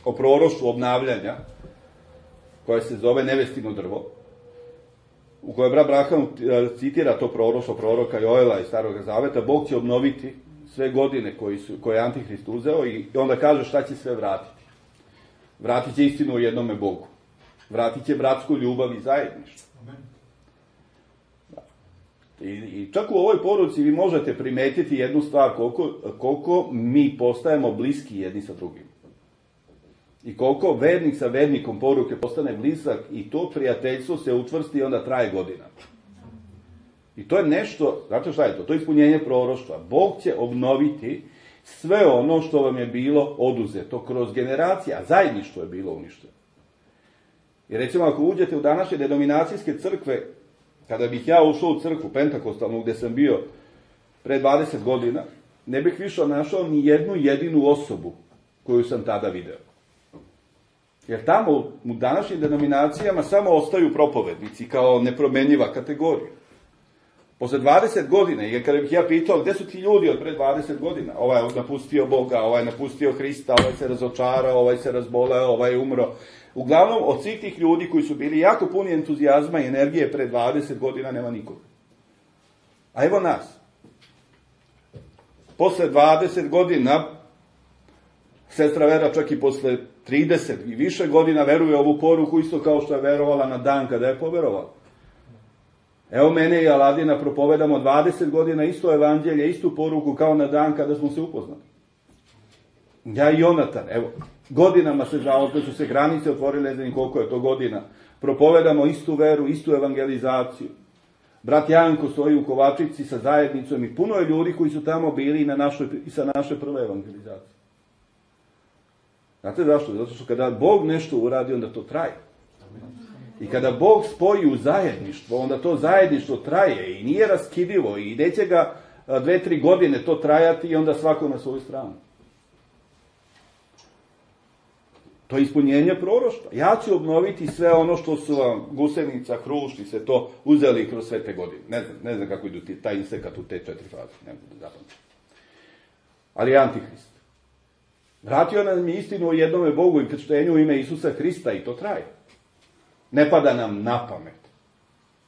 o proroštvu obnavljanja, koja se zove Nevestino drvo, u kojoj brat Braham citira to proroštvo proroka Joela iz Starog Zaveta, Bog će obnoviti sve godine koji su, koje je Antihrist uzeo i onda kaže šta će sve vratiti. Vratit će istinu o jednome Bogu. Vratit će bratsku ljubav i zajedništvo. I, I čak u ovoj poruci vi možete primetiti jednu stvar, koliko, koliko mi postajemo bliski jedni sa drugim. I koliko vernik sa vernikom poruke postane blizak i to prijateljstvo se učvrsti i onda traje godinama. I to je nešto, znate šta je to? To je ispunjenje proroštva. Bog će obnoviti sve ono što vam je bilo oduzeto kroz generacije, a zajedništvo je bilo uništeno. I recimo ako uđete u današnje denominacijske crkve, kada bih ja ušao u crkvu pentakostalnu gdje sam bio pre dvadeset godina, ne bih više našao ni jednu jedinu osobu koju sam tada video. Jer tamo u današnjim denominacijama samo ostaju propovednici kao nepromenjiva kategorija. Posle dvadeset godina, jer kada bih ja pitao gdje su ti ljudi od pre dvadeset godina, ovaj je napustio Boga, ovaj je napustio Hrista, ovaj se razočarao, ovaj se razboleo, ovaj je umro. Uglavnom, od svih tih ljudi koji su bili jako puni entuzijazma i energije pre dvadeset godina nema nikoga. A evo nas. Posle dvadeset godina, sestra Vera čak i posle trideset i više godina veruje ovu poruku isto kao što je verovala na dan kada je poverovala. Evo mene i Aladina propovedamo dvadeset godina isto evanđelje, istu poruku kao na dan kada smo se upoznali. Ja i Jonatan, evo, godinama se žao, da su se granice otvorile, ne znam koliko je to godina, propovedamo istu veru, istu evangelizaciju. Brat Janko stoji u Kovačici sa zajednicom i puno je ljudi koji su tamo bili i, na našoj, i sa naše prve evangelizacije. Znate zašto? Zato što kada Bog nešto uradi, onda to traje. I kada Bog spoji u zajedništvo, onda to zajedništvo traje i nije raskidivo i neće ga dve, tri godine to trajati i onda svako na svoju stranu. To je ispunjenje proroštva. Ja ću obnoviti sve ono što su vam gusenica, hrušt i sve to uzeli kroz sve te godine. Ne znam, ne znam kako idu ti, taj insekat u te četiri faze. Ne mogu da zapamtim. Ali je Antihrist. Vratio nam je istinu o jednome Bogu i krštenju u ime Isusa Hrista i to traje. Ne pada nam na pamet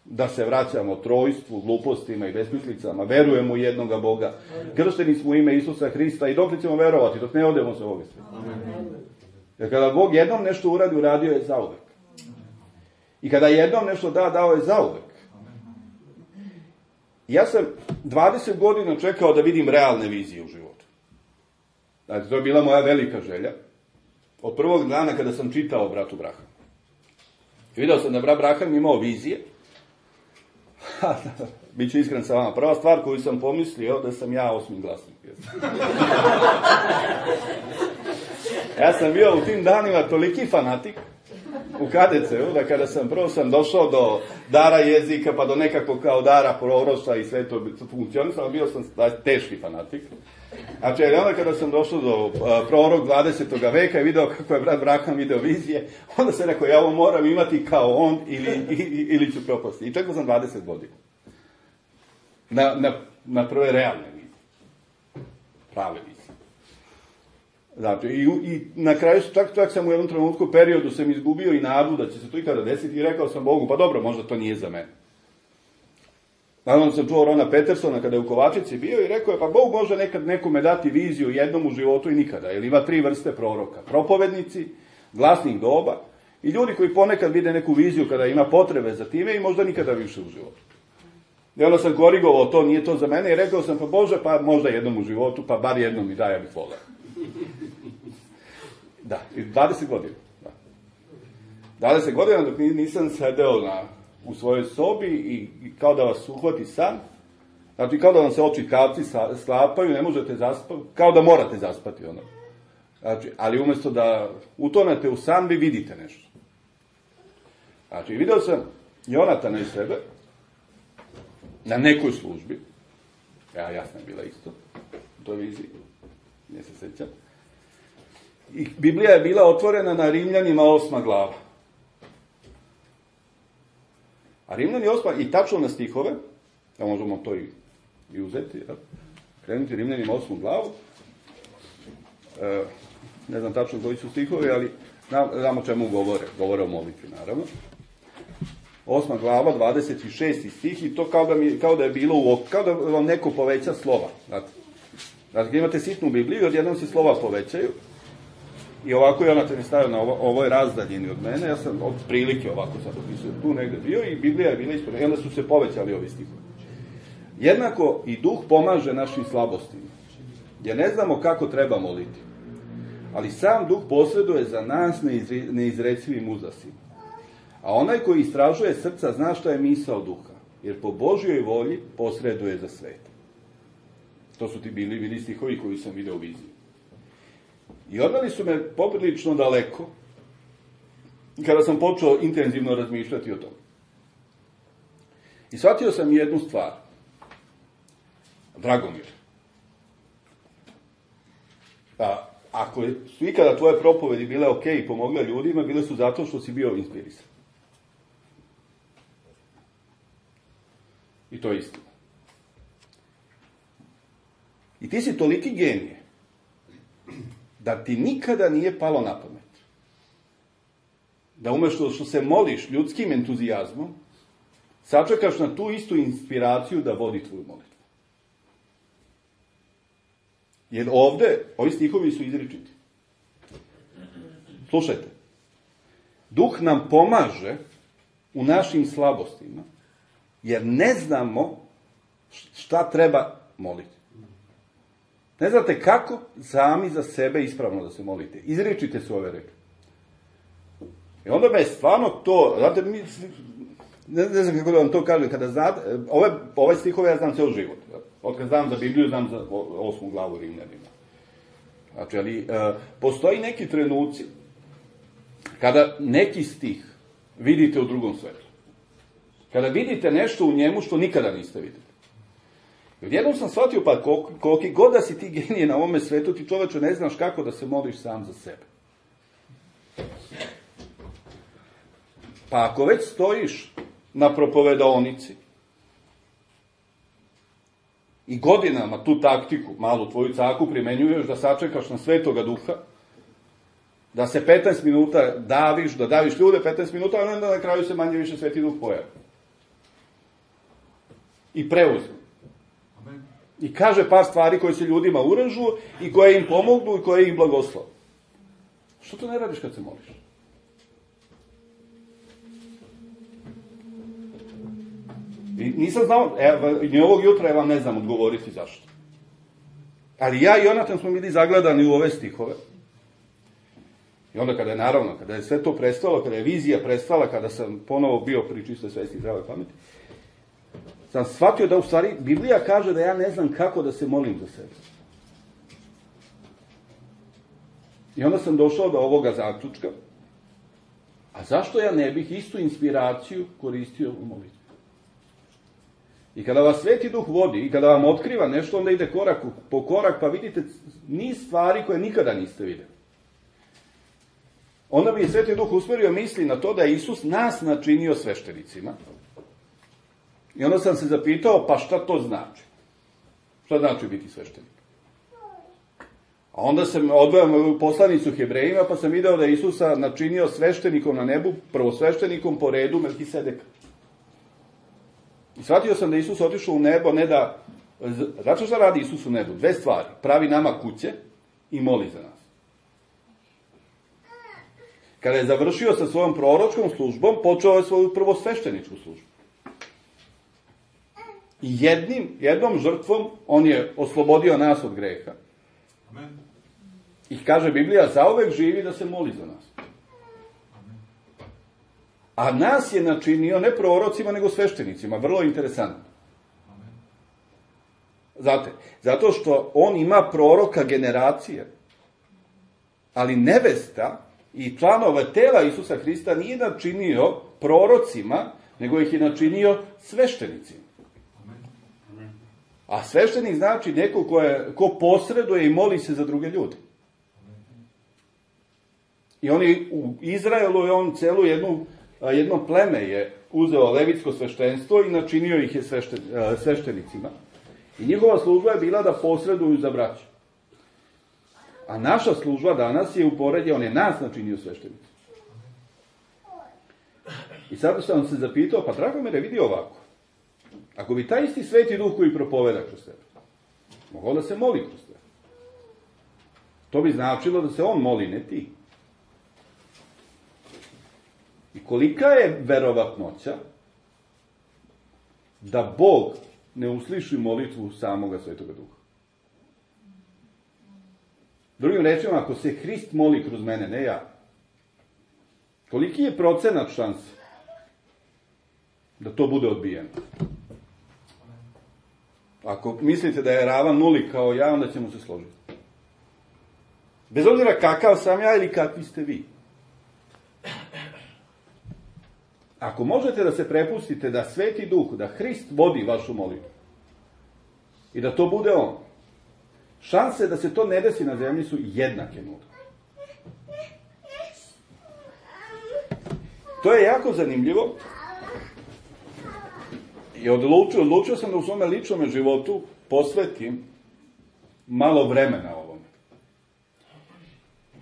da se vraćamo trojstvu, glupostima i besmislicama, verujemo u jednoga Boga, kršteni smo u ime Isusa Hrista i dok ćemo verovati, dok ne odemo sa ovoga sveta. Jer kada Bog jednom nešto uradi, uradio je zauvek. I kada jednom nešto da, dao je zauvek. Ja sam dvadeset godina čekao da vidim realne vizije u životu. Znači, to je bila moja velika želja. Od prvog dana kada sam čitao o bratu Brahanu. I video sam da brat Brahan imao vizije. Biću iskren sa vama. Prva stvar koju sam pomislio da sam ja osmi glasnik. Ja sam bio u tim danima toliki fanatik u K D C-u, da kada sam prvo sam došao do dara jezika, pa do nekakvog kao dara proroštva i sve to funkcionisalo, bio sam teški fanatik. Znači, onda kada sam došao do uh, prorok dvadesetog veka i video kako je brat Brahan video vizije, onda sam rekao, ja ovo moram imati kao on ili, ili, ili ću propasti. I čekao sam dvadeset godina. Na, na, na prve realne vizije. Prave vizije. Znači, i, i na kraju, čak, čak sam u jednom trenutku periodu sam izgubio i nadu da će se to ikada desiti i rekao sam Bogu, pa dobro, možda to nije za mene. Naravno sam čuo Rona Petersona kada je u Kovačici bio i rekao je, pa Bog može nekad nekome dati viziju jednom u životu i nikada, jer ima tri vrste proroka. Propovednici, glasnih doba i ljudi koji ponekad vide neku viziju kada ima potrebe za time i možda nikada više u životu. I onda sam korigovao to, nije to za mene i rekao sam, pa Bože, pa možda jednom u životu, pa bar jednom mi daj, ja bih volao. Da, i dvadeset godina. Da. dvadeset godina dok nisam sedeo na, u svojoj sobi i, i kao da vas uhvati san, znači kao da vam se oči kapci sklapaju, ne možete zaspati, kao da morate zaspati ono. Znači, ali umjesto da utonete u san, vi vidite nešto. Znači, video sam Jonatana i sebe na nekoj službi, ja jasno je bila isto, u toj viziji, ne se sećam. I Biblija je bila otvorena na Rimljanima osma glava. A Rimljani osma, i tačno na stihove, da možemo to i, i uzeti, ja, krenuti Rimljanima osmu glavu, e, ne znam tačno koji su stihovi, ali znam o čemu govore, govore o molitvi, naravno. Osma glava, dvadeset šesti stih, i to kao da, mi, kao da je bilo u oku, kao da vam neko poveća slova. Znate, znači, imate sitnu Bibliju, odjednom se slova povećaju, i ovako je Jonatan je stavio na ovo, ovoj razdaljini od mene, ja sam od prilike ovako sad opisujem tu negde bio i Biblija je bila ispod, i onda su se povećali ovi stihovi. Jednako i duh pomaže našim slabostima, jer ne znamo kako treba moliti, ali sam duh posreduje za nas neizre, neizrecivim uzasima. A onaj koji istražuje srca zna šta je misao duha, jer po Božjoj volji posreduje za svet. To su ti bili, bili stihovi koji sam video u viziji. I odveli su me poprilično daleko kada sam počeo intenzivno razmišljati o tome. I shvatio sam jednu stvar. Dragomir, a ako su ikada tvoje propovedi bile ok i pomogle ljudima, bile su zato što si bio inspirisan. I to je istina. I ti si toliki genije da ti nikada nije palo na pamet da umjesto što se moliš ljudskim entuzijazmom, sačekaš na tu istu inspiraciju da vodi tvoju molitvu. Jer ovde, ovi stihovi su izričiti. Slušajte. Duh nam pomaže u našim slabostima, jer ne znamo šta treba moliti. Ne znate kako sami za sebe ispravno da se molite. Izričite su ove reči. I onda me je stvarno to, znate, mi, ne, ne znam kako da vam to kažem, kada znate, ove, ove stihove ja znam ceo život. Od kad znam za Bibliju, znam za osmu glavu Rimljanima. Znači, ali, e, postoji neki trenuci kada neki stih vidite u drugom svetlu. Kada vidite nešto u njemu što nikada niste videli. I odjednom sam shvatio, pa koliki god da si ti genije na ovome svetu, ti čoveče ne znaš kako da se moliš sam za sebe. Pa ako već stojiš na propovedaonici i godinama tu taktiku, malu tvoju caku, primenjuješ da sačekaš na Svetoga Duha, da se petnaest minuta daviš, da daviš ljude petnaest minuta, a onda na kraju se manje više Sveti Duh pojavi. I preuzme. I kaže par stvari koje se ljudima uražu i koje im pomognu i koje im blagoslove. Što to ne radiš kad se moliš? I nisam znao, evo, ni ovog jutra ja vam ne znam odgovoriti zašto. Ali ja i Jonatan smo bili zagledani u ove stihove. I onda kada je, naravno, kada je sve to prestalo, kada je vizija prestala, kada sam ponovo bio pri čistoj svesti i zdravoj pameti, sam shvatio da u stvari Biblija kaže da ja ne znam kako da se molim za sebe. I onda sam došao do ovoga zaključka. A zašto ja ne bih istu inspiraciju koristio u molitvi? I kada vas Sveti Duh vodi i kada vam otkriva nešto, onda ide korak po korak, pa vidite niz stvari koje nikada niste videli. Onda bi Sveti Duh usmerio misli na to da je Isus nas načinio sveštenicima. I onda sam se zapitao, pa šta to znači? Šta znači biti sveštenik? A onda sam odveo poslanicu Hebrejima, pa sam video da je Isusa načinio sveštenikom na nebu, prvo sveštenikom po redu Melkisedeka. I shvatio sam da je Isus otišao u nebo, ne da... Znači šta radi Isus u nebu? Dve stvari. Pravi nama kuće i moli za nas. Kada je završio sa svojom proročkom službom, počeo je svoju prvo svešteničku službu. I jednim, jednom žrtvom on je oslobodio nas od greha. Amen. I kaže Biblija, zauvek živi da se moli za nas. Amen. A nas je načinio ne prorocima, nego sveštenicima. Vrlo interesantno. Amen. Znate, zato što on ima proroka generacije, ali nevesta i članova tela Isusa Hrista nije načinio prorocima, nego ih je načinio sveštenicima. A sveštenik znači neko ko, je, ko posreduje i moli se za druge ljude. I oni u Izraelu je on celu jednu, jedno pleme je uzeo levitsko sveštenstvo i načinio ih je svešten, sveštenicima. I njihova služba je bila da posreduju za braću. A naša služba danas je u poređe, on je nas načinio sveštenicima. I sad sam se zapitao, pa Dragomire, vidi ovako. Ako bi taj isti Sveti Duh koji propoveda kroz tebe, mogao da se moli kroz tebe. To bi značilo da se on moli, ne ti. I kolika je verovatnoća da Bog ne usliši molitvu samoga Svetoga Duha? Drugim rečima, ako se Hrist moli kroz mene, ne ja, koliki je procenat šanse da to bude odbijeno? Ako mislite da je ravan nuli kao ja, onda ćemo se složiti. Bez obzira kakav sam ja ili kakvi ste vi. Ako možete da se prepustite da Sveti Duh, da Hrist vodi vašu molitvu i da to bude on, šanse da se to ne desi na zemlji su jednake nule. To je jako zanimljivo. I odlučio, odlučio sam da u svome ličnom životu posvetim malo vremena ovome.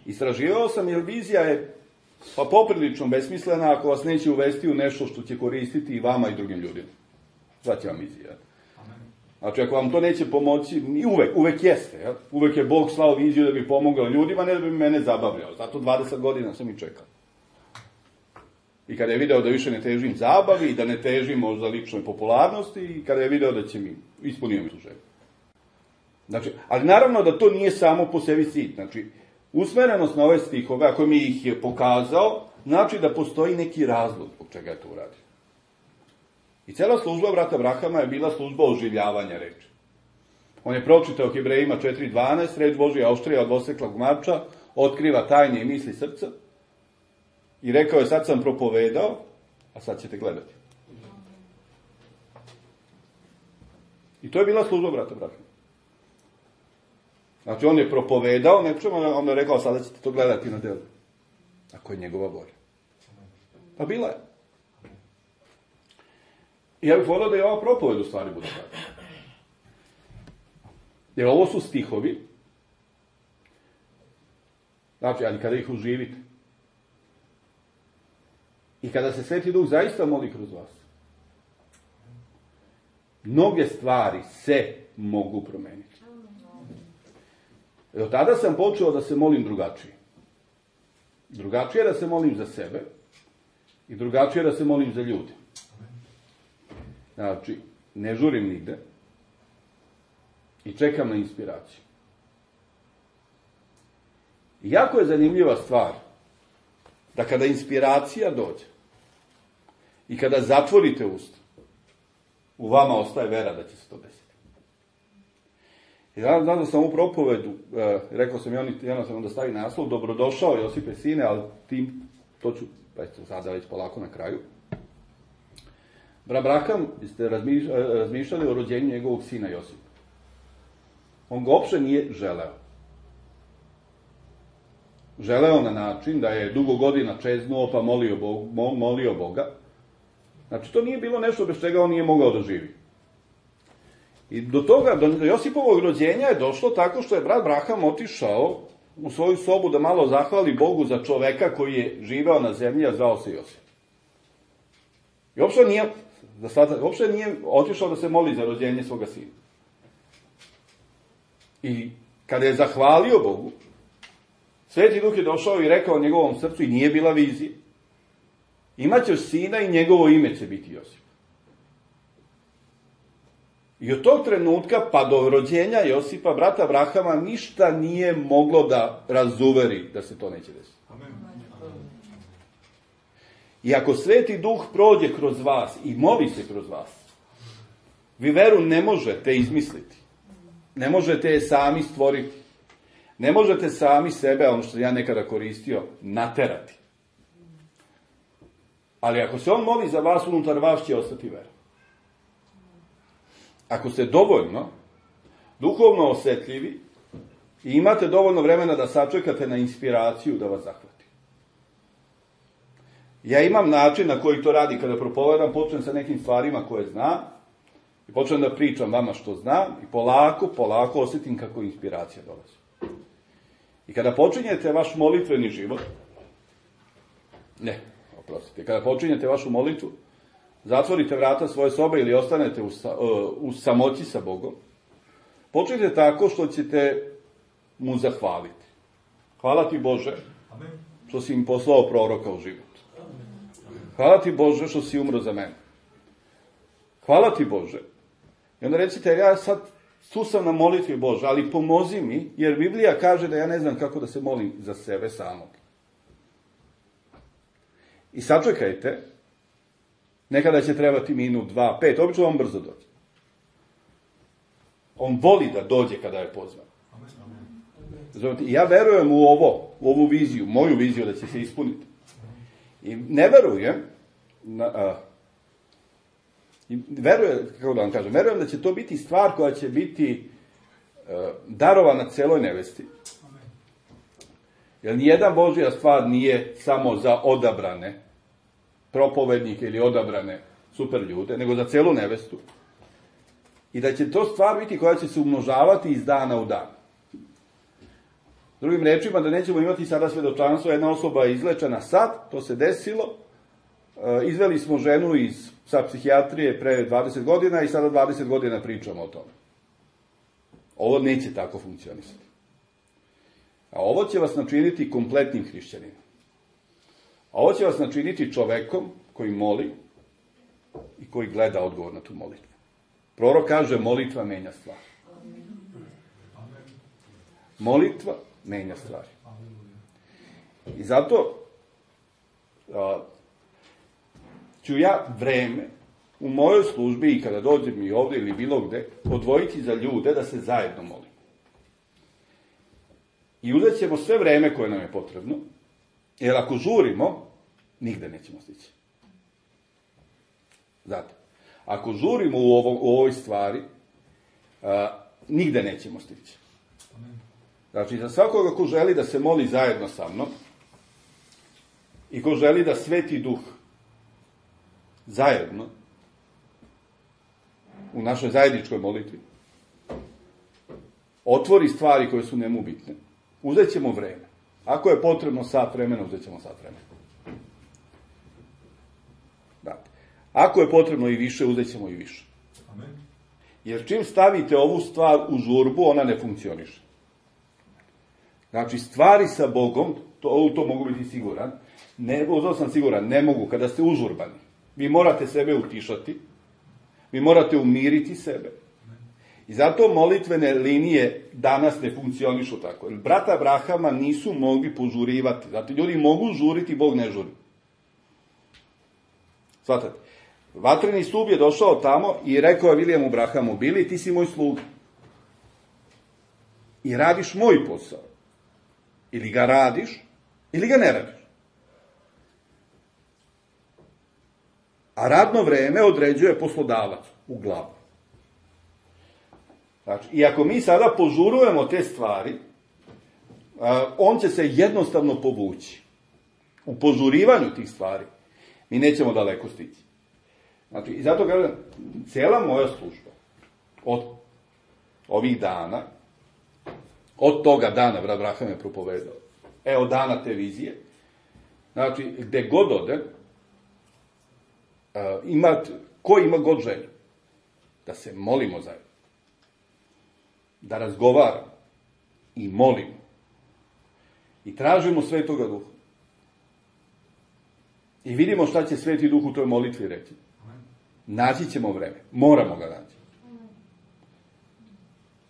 Istraživao sam jer vizija je pa poprilično besmislena ako vas neće uvesti u nešto što će koristiti i vama i drugim ljudima. Znači vam vizija. Znači ako vam to neće pomoći, i uvek, uvek jeste. Ja? Uvek je Bog slao viziju da bi pomogao ljudima, ne da bi mene zabavljao. Zato dvadeset godina sam i čekao. I kada je video da više ne težim zabavi i da ne težim možda ličnoj popularnosti i kada je video da će mi, ispunio mi tu želju. Znači, ali naravno da to nije samo po sebi cilj. Znači, usmerenost na ove stihove, ako mi ih je pokazao, znači da postoji neki razlog zbog čega je to uradio. I cela služba brata Abrahama je bila služba oživljavanja reči. On je pročitao Hebrejima četiri dvanaest, reč Božja oštrija od dvoseklog mača, otkriva tajne i misli srca. I rekao je, sad sam propovedao, a sad ćete gledati. I to je bila služba brata Abrahama. Znači, on je propovedao nečemu, onda je rekao, sada ćete to gledati na delu. Ako je njegova volja. Pa bila je. I ja bih volio da je ova propoved u stvari bude tako. Jer ovo su stihovi, znači, ali kada ih uživite, i kada se Sveti Duh zaista moli kroz vas, mnoge stvari se mogu promeniti. Od tada sam počeo da se molim drugačije. Drugačije da se molim za sebe i drugačije da se molim za ljude. Znači, ne žurim nigde i čekam na inspiraciju. I jako je zanimljiva stvar da kada inspiracija dođe i kada zatvorite usta, u vama ostaje vera da će se to desiti. I danas da sam u propovedu, e, rekao sam i oni jednostavno da stavi naslov, dobrodošao Josipe sine, ali tim, to ću, pa eto, sada već polako na kraju. Abraham, ste razmišljali o rođenju njegovog sina Josipa. On ga uopšte nije želeo. Želeo na način da je dugo godina čeznuo pa molio, Bog, molio Boga. Znači, to nije bilo nešto bez čega on nije mogao da živi. I do toga, do Josipovog rođenja je došlo tako što je brat Abraham otišao u svoju sobu da malo zahvali Bogu za čoveka koji je živeo na zemlji, a zvao se Josip. I uopšte nije, da sada, uopšte nije otišao da se moli za rođenje svoga sina. I kada je zahvalio Bogu, Sveti Duh je došao i rekao njegovom srcu, i nije bila vizija, imaćeš sina i njegovo ime će biti Josip. I od tog trenutka pa do rođenja Josipa, brata Abrahama, ništa nije moglo da razuveri da se to neće desiti. Amen. I ako Sveti Duh prođe kroz vas i moli se kroz vas, vi veru ne možete izmisliti. Ne možete je sami stvoriti. Ne možete sami sebe, ono što ja nekada koristio, naterati. Ali ako se on moli za vas, unutar vas će ostati vera. Ako ste dovoljno duhovno osjetljivi i imate dovoljno vremena da sačekate na inspiraciju da vas zahvati. Ja imam način na koji to radi kada propovedam, počnem sa nekim stvarima koje znam i počnem da pričam vama što znam i polako, polako osjetim kako inspiracija dolazi. I kada počinjete vaš molitveni život, ne, oprostite, kada počinjete vašu molitvu, zatvorite vrata svoje sobe ili ostanete u, u samoći sa Bogom, počnite tako što ćete mu zahvaliti. Hvala ti Bože što si im poslao proroka u život. Hvala ti Bože što si umro za mene. Hvala ti Bože. I onda recite, ja sad tu sam na molitvi Bože, ali pomozi mi, jer Biblija kaže da ja ne znam kako da se molim za sebe samog. I sačekajte, nekada će trebati minut, dva, pet, obično on brzo dođe. On voli da dođe kada je pozvan. I ja verujem u ovo, u ovu viziju, moju viziju da će se ispuniti. I ne verujem, na, a, i verujem, kako da vam kažem, verujem da će to biti stvar koja će biti a, darovana celoj nevesti. Jer nijedan Božja stvar nije samo za odabrane propovednike ili odabrane super ljude, nego za celu nevestu. I da će to stvar biti koja će se umnožavati iz dana u dan. Drugim rečima, da nećemo imati sada svedočanstvo, jedna osoba je izlečena sad, to se desilo, izveli smo ženu iz sa psihijatrije pre dvadeset godina i sada dvadeset godina pričamo o tome. Ovo neće tako funkcionisati. A ovo će vas načiniti kompletnim hrišćaninom. A ovo će vas načiniti čovekom koji moli i koji gleda odgovor na tu molitvu. Prorok kaže, molitva menja stvar. Molitva menja stvari. I zato a, ću ja vreme u mojoj službi i kada dođem i ovdje ili bilo gde, odvojiti za ljude da se zajedno molimo. I uzet ćemo sve vreme koje nam je potrebno, jer ako žurimo, nigde nećemo stići. Znate, ako žurimo u, ovo, u ovoj stvari, a, nigde nećemo stići. Znači, za svakoga ko želi da se moli zajedno sa mnom i ko želi da Sveti Duh zajedno u našoj zajedničkoj molitvi, otvori stvari koje su njemu bitne, uzet ćemo vreme. Ako je potrebno sat vremena, uzet ćemo sat vremena. Da. Ako je potrebno i više, uzet ćemo i više. Amen. Jer čim stavite ovu stvar u žurbu, ona ne funkcioniše. Znači, stvari sa Bogom, to, to mogu biti siguran, ne, to sam siguran, ne mogu, kada ste užurbani. Vi morate sebe utišati, vi morate umiriti sebe. I zato molitvene linije danas ne funkcionišu tako. Brata Abrahama nisu mogli požurivati. Zato ljudi mogu žuriti, Bog ne žuri. Svatate. Vatreni stup je došao tamo i rekao je Vilijemu Abrahamu, Bili, ti si moj sluga. I radiš moj posao. Ili ga radiš, ili ga ne radiš. A radno vreme određuje poslodavac u glavu. Znači, i ako mi sada požurujemo te stvari, on će se jednostavno povući. U požurivanju tih stvari mi nećemo daleko stići. Znači, i zato kažem, cijela moja služba od ovih dana, od toga dana, brat Abraham je propovedao, evo dana te vizije, znači, gde god ode, ima, ko ima god želju, da se molimo zajedno, da razgovaramo i molimo i tražimo Svetoga Duha. I vidimo šta će Sveti Duh u toj molitvi reći. Naći ćemo vreme. Moramo ga naći.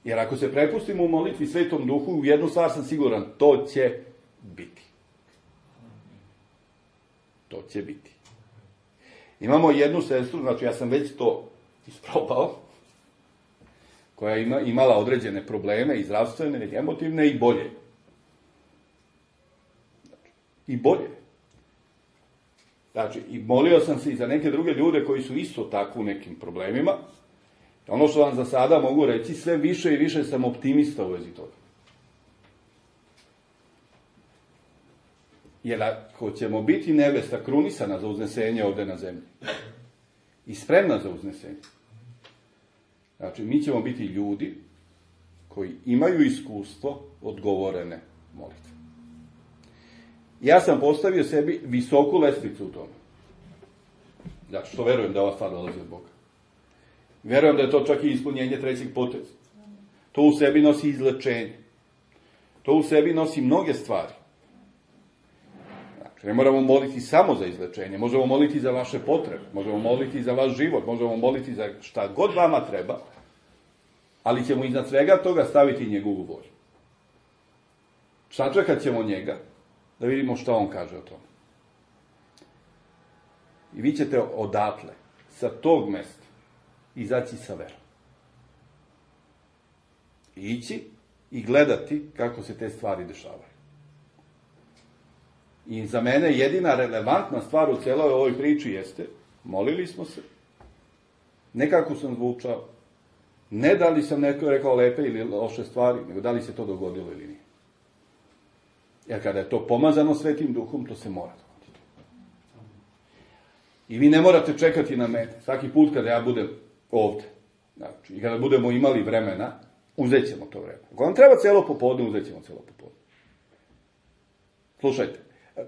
Jer ako se prepustimo u molitvi Svetom Duhu, u jednu stvar sam siguran, to će biti. To će biti. Imamo jednu sestru, znači ja sam već to isprobao, koja ima, imala određene probleme, i zdravstvene, i emotivne, i bolje. Znači, i bolje. Znači, i molio sam se i za neke druge ljude koji su isto tako u nekim problemima. Ono što vam za sada mogu reći, sve više i više sam optimista u vezi toga. Jer ako ćemo biti nevesta krunisana za uznesenje ovde na zemlji i spremna za uznesenje, znači, mi ćemo biti ljudi koji imaju iskustvo odgovorene molitve. Ja sam postavio sebi visoku lestvicu u tome. Znači, što verujem da ova stvar dolazi od Boga. Verujem da je to čak i ispunjenje trećeg poteza. To u sebi nosi izlečenje. To u sebi nosi mnoge stvari. Znači, ne moramo moliti samo za izlečenje. Možemo moliti za vaše potrebe. Možemo moliti za vaš život. Možemo moliti za šta god vama treba. Ali ćemo iznad svega toga staviti njegovu volju. Sačekat ćemo njega da vidimo šta on kaže o tome. I vi ćete odatle, sa tog mesta, izaći sa verom. Ići i gledati kako se te stvari dešavaju. I za mene jedina relevantna stvar u celoj ovoj priči jeste, molili smo se, nekako sam zvučao, ne da li sam neko rekao lepe ili loše stvari, nego da li se to dogodilo ili nije. Jer kada je to pomazano Svetim Duhom, to se mora dogoditi. I vi ne morate čekati na mene. Svaki put kada ja budem ovde, znači, i kada budemo imali vremena, uzet ćemo to vreme. Ako vam treba celo popodne, uzet ćemo celo popodne. Slušajte,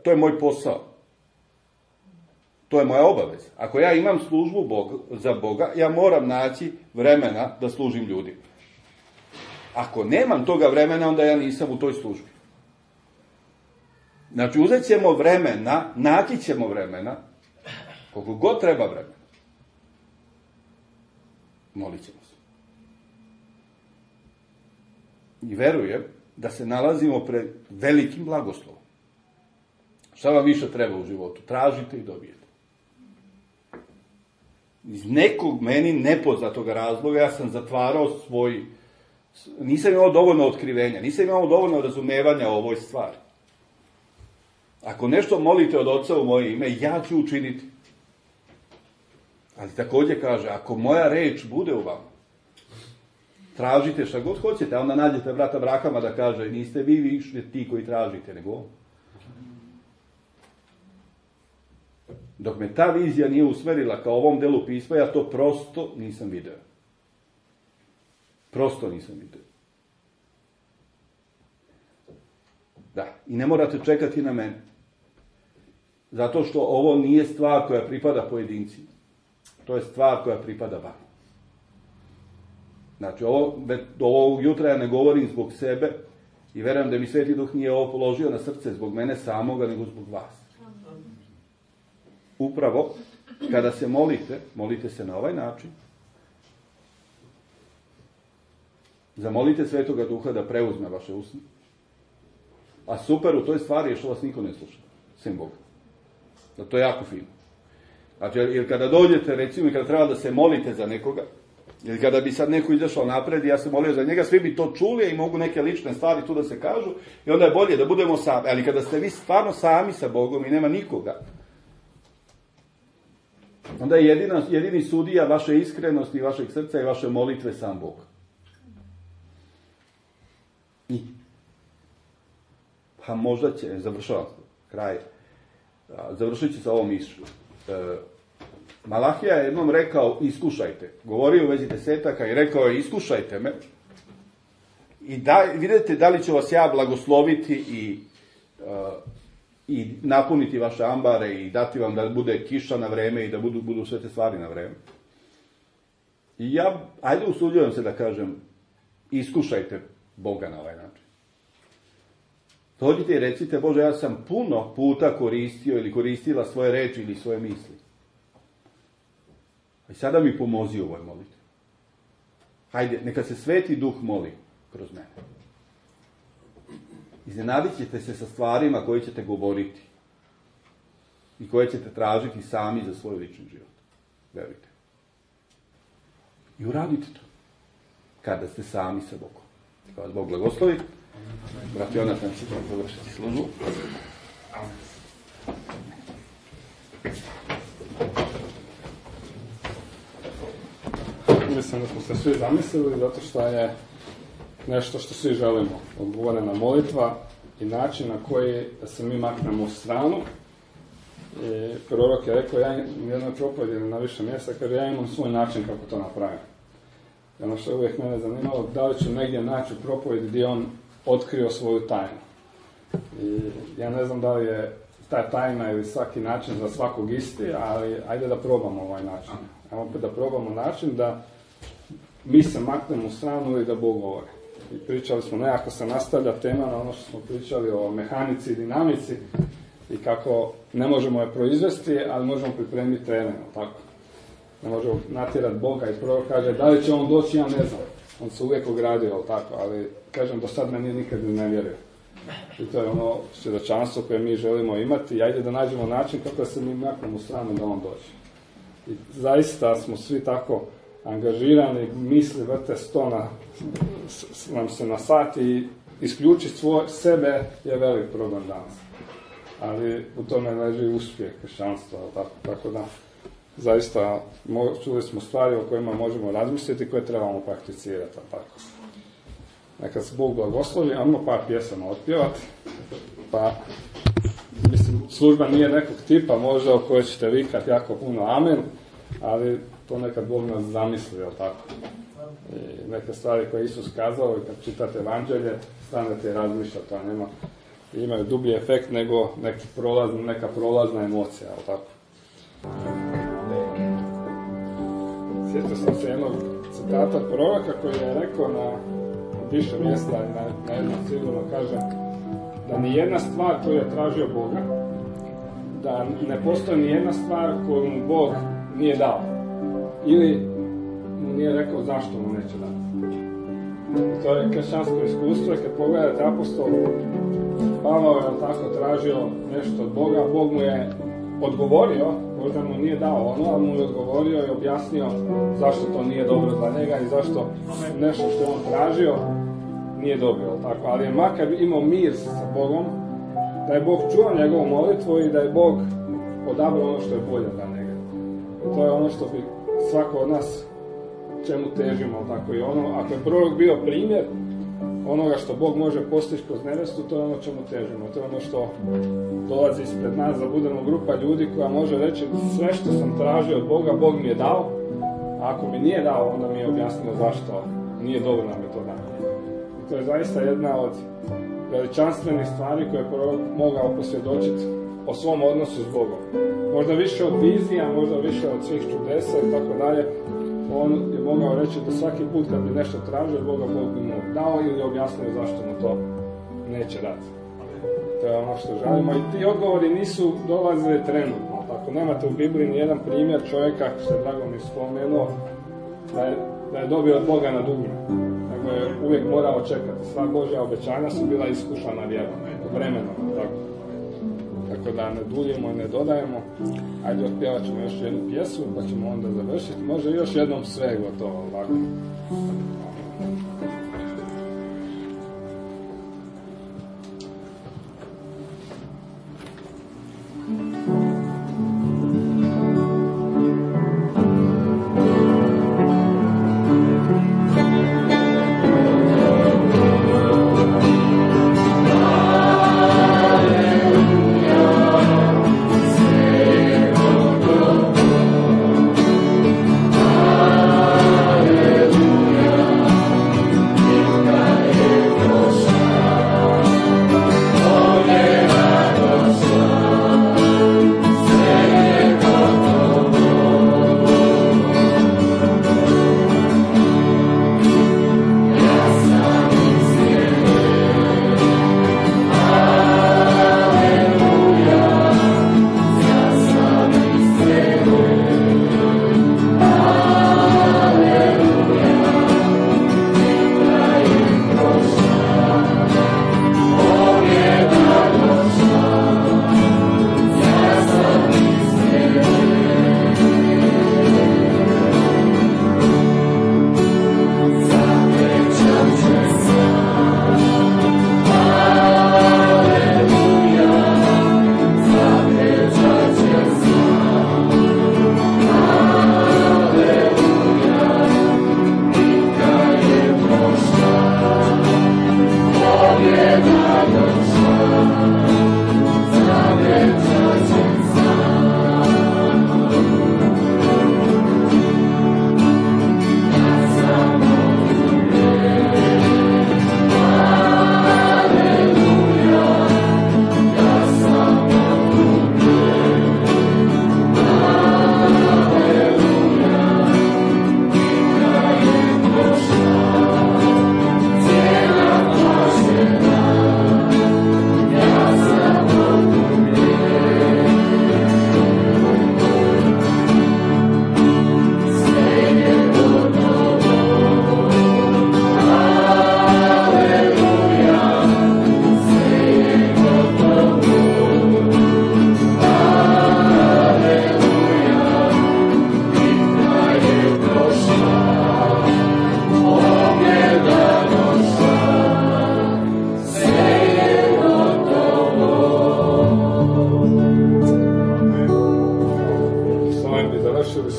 to je moj posao. To je moja obaveza. Ako ja imam službu Boga, za Boga, ja moram naći vremena da služim ljudima. Ako nemam toga vremena, onda ja nisam u toj službi. Znači, uzet ćemo vremena, naći ćemo vremena, koliko god treba vremena. Molit ćemo se. I verujem da se nalazimo pred velikim blagoslovom. Šta vam više treba u životu? Tražite i dobijete. Iz nekog meni nepoznatog razloga ja sam zatvarao svoj... Nisam imao dovoljno otkrivenja, nisam imao dovoljno razumevanja o ovoj stvari. Ako nešto molite od Oca u moje ime, ja ću učiniti. Ali takođe kaže, ako moja reč bude u vama, tražite šta god hoćete, a onda nađete brata Abrahama da kaže, niste vi više ti koji tražite, nego on. Dok me ta vizija nije usmerila ka ovom delu pisma, ja to prosto nisam video. Prosto nisam vidio. Da, i ne morate čekati na mene. Zato što ovo nije stvar koja pripada pojedincima. To je stvar koja pripada vama. Znači, ovo, do ovog jutra ja ne govorim zbog sebe i verujem da mi Sveti Duh nije ovo položio na srce zbog mene samoga, nego zbog vas. Upravo, kada se molite, molite se na ovaj način. Zamolite Svetoga Duha da preuzme vaše usne. A super u toj stvari je što vas niko ne sluša, sem Boga. Da to je jako fino. Znači, jer kada dođete, recimo, kada treba da se molite za nekoga, ili kada bi sad neko izašao napred i ja se molio za njega, svi bi to čuli i mogu neke lične stvari tu da se kažu i onda je bolje da budemo sami. Ali kada ste vi stvarno sami sa Bogom i nema nikoga, onda je jedina, jedini sudija vaše iskrenosti i vašeg srca i vaše molitve sam Bog. I pa možda će, završavam kraj, završit ću sa ovom mišlju. E, Malahija je jednom rekao, iskušajte. Govorio u vezi desetaka i rekao je, iskušajte me. I da, vidite da li će vas ja blagosloviti i, uh, i napuniti vaše ambare i dati vam da bude kiša na vreme i da budu, budu sve te stvari na vreme. I ja, ajde usuđujem se da kažem, iskušajte Boga na ovaj način. Dođite i recite, Bože, ja sam puno puta koristio ili koristila svoje reči ili svoje misli. I sada mi pomozi u ovoj molitvi. Hajde, neka se Sveti Duh moli kroz mene. Iznenadit ćete se sa stvarima koje ćete govoriti i koje ćete tražiti sami za svoj lični život. Verujte. I uradite to. Kada ste sami sa Bogom. Kada vas Bog blagoslovi. Brat Jonatan će vam završiti službu. Mislim da smo se svi zamislili, zato što je nešto što svi želimo. Odgovorena molitva i način na koji se mi maknemo u stranu. I prorok je rekao, ja u jednoj propovedi na više mjesta, kaže, ja imam svoj način kako to napravim. I ono što je uvijek mene zanimalo, da li ću negdje naći u propovedi gdje on otkrio svoju tajnu. I ja ne znam da li je ta tajna ili svaki način za svakog isti, ali ajde da probamo ovaj način. Ajmo opet da probamo način da mi se maknemo u stranu i da Bog govori. I pričali smo, nekako se nastavlja tema na ono što smo pričali o mehanici i dinamici i kako ne možemo je proizvesti, ali možemo pripremiti teren, tako. Ne možemo natjerati Boga i prorok kaže, da li će on doći, ja ne znam. On se uvijek ogradio, tako, ali kažem, do sad me nije nikad ne vjerio. I to je ono svjedočanstvo koje mi želimo imati i ajde da nađemo način kako se mi maknemo u stranu da on dođe. I zaista smo svi tako angažirani, misli vrte sto na, s, nam se na sat i isključiti svoj sebe je velik problem danas. Ali u tome leži uspjeh kršćanstva, tako, tako da zaista čuli smo stvari o kojima možemo razmisliti i koje trebamo prakticirati, tako. Neka se Bog blagoslovi, ajmo par pjesama otpjevati, pa mislim, služba nije nekog tipa možda o kojoj ćete vikati jako puno amen, ali to nekad Bog nas zamisli, jel tako? I neke stvari koje Isus kazao i kad čitate evanđelje, stanete i razmišljate, a nema, imaju dublji efekt nego neki prolaz, neka prolazna emocija, jel tako? Sjetio sam se jednog citata proroka koji je rekao na više mjesta i na, na jednom sigurno kaže da ni jedna stvar koju je tražio Boga, da ne postoji ni jedna stvar koju mu Bog nije dao. Ili mu nije rekao zašto mu neće dati. To je kršćansko iskustvo i kad pogledate apostol Pavao je tako tražio nešto od Boga, Bog mu je odgovorio, možda mu nije dao ono, ali mu je odgovorio i objasnio zašto to nije dobro za njega i zašto nešto što je on tražio nije dobio. Tako. Ali je makar imao mir sa Bogom, da je Bog čuo njegovu molitvu i da je Bog odabrao ono što je bolje za njega. I to je ono što bi svako od nas čemu težimo. Tako. I ono, ako je prorok bio primjer onoga što Bog može postići kroz nevjestu, to je ono čemu težimo. To je ono što dolazi ispred nas, da budemo grupa ljudi koja može reći sve što sam tražio od Boga, Bog mi je dao. A ako mi nije dao, onda mi je objasnio zašto nije dovoljna metoda. I to je zaista jedna od veličanstvenih stvari koje je prorok mogao posvjedočiti o svom odnosu s Bogom. Možda više od vizija, možda više od svih čudesa i tako dalje. On je mogao reći da svaki put kad bi nešto tražio Boga, Bog bi mu dao ili objasnio zašto mu to neće dati. To je ono što želimo i ti odgovori nisu dolazili trenutno. Ako nemate u Bibliji nijedan primjer čovjeka, što je Drago mi spomenuo, da je, da je dobio od Boga na dugme. Nego je uvijek morao čekati. Sva Božja obećanja su bila iskušana vjerom, vremenom. Tako. Tako da ne duljimo i ne dodajemo. Ajde, otpjevat ćemo još jednu pjesmu, pa ćemo onda završiti. Može još jednom sve gotovo ovako.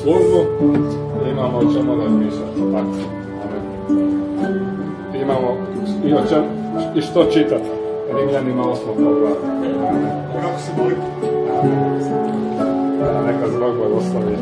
službu, imamo o čemu razmišljati. Tako. Imamo i, o čem, i što čitati. Rimljanima osmog poglavlja. Kako se moliti? Neka zbog blagoslovi.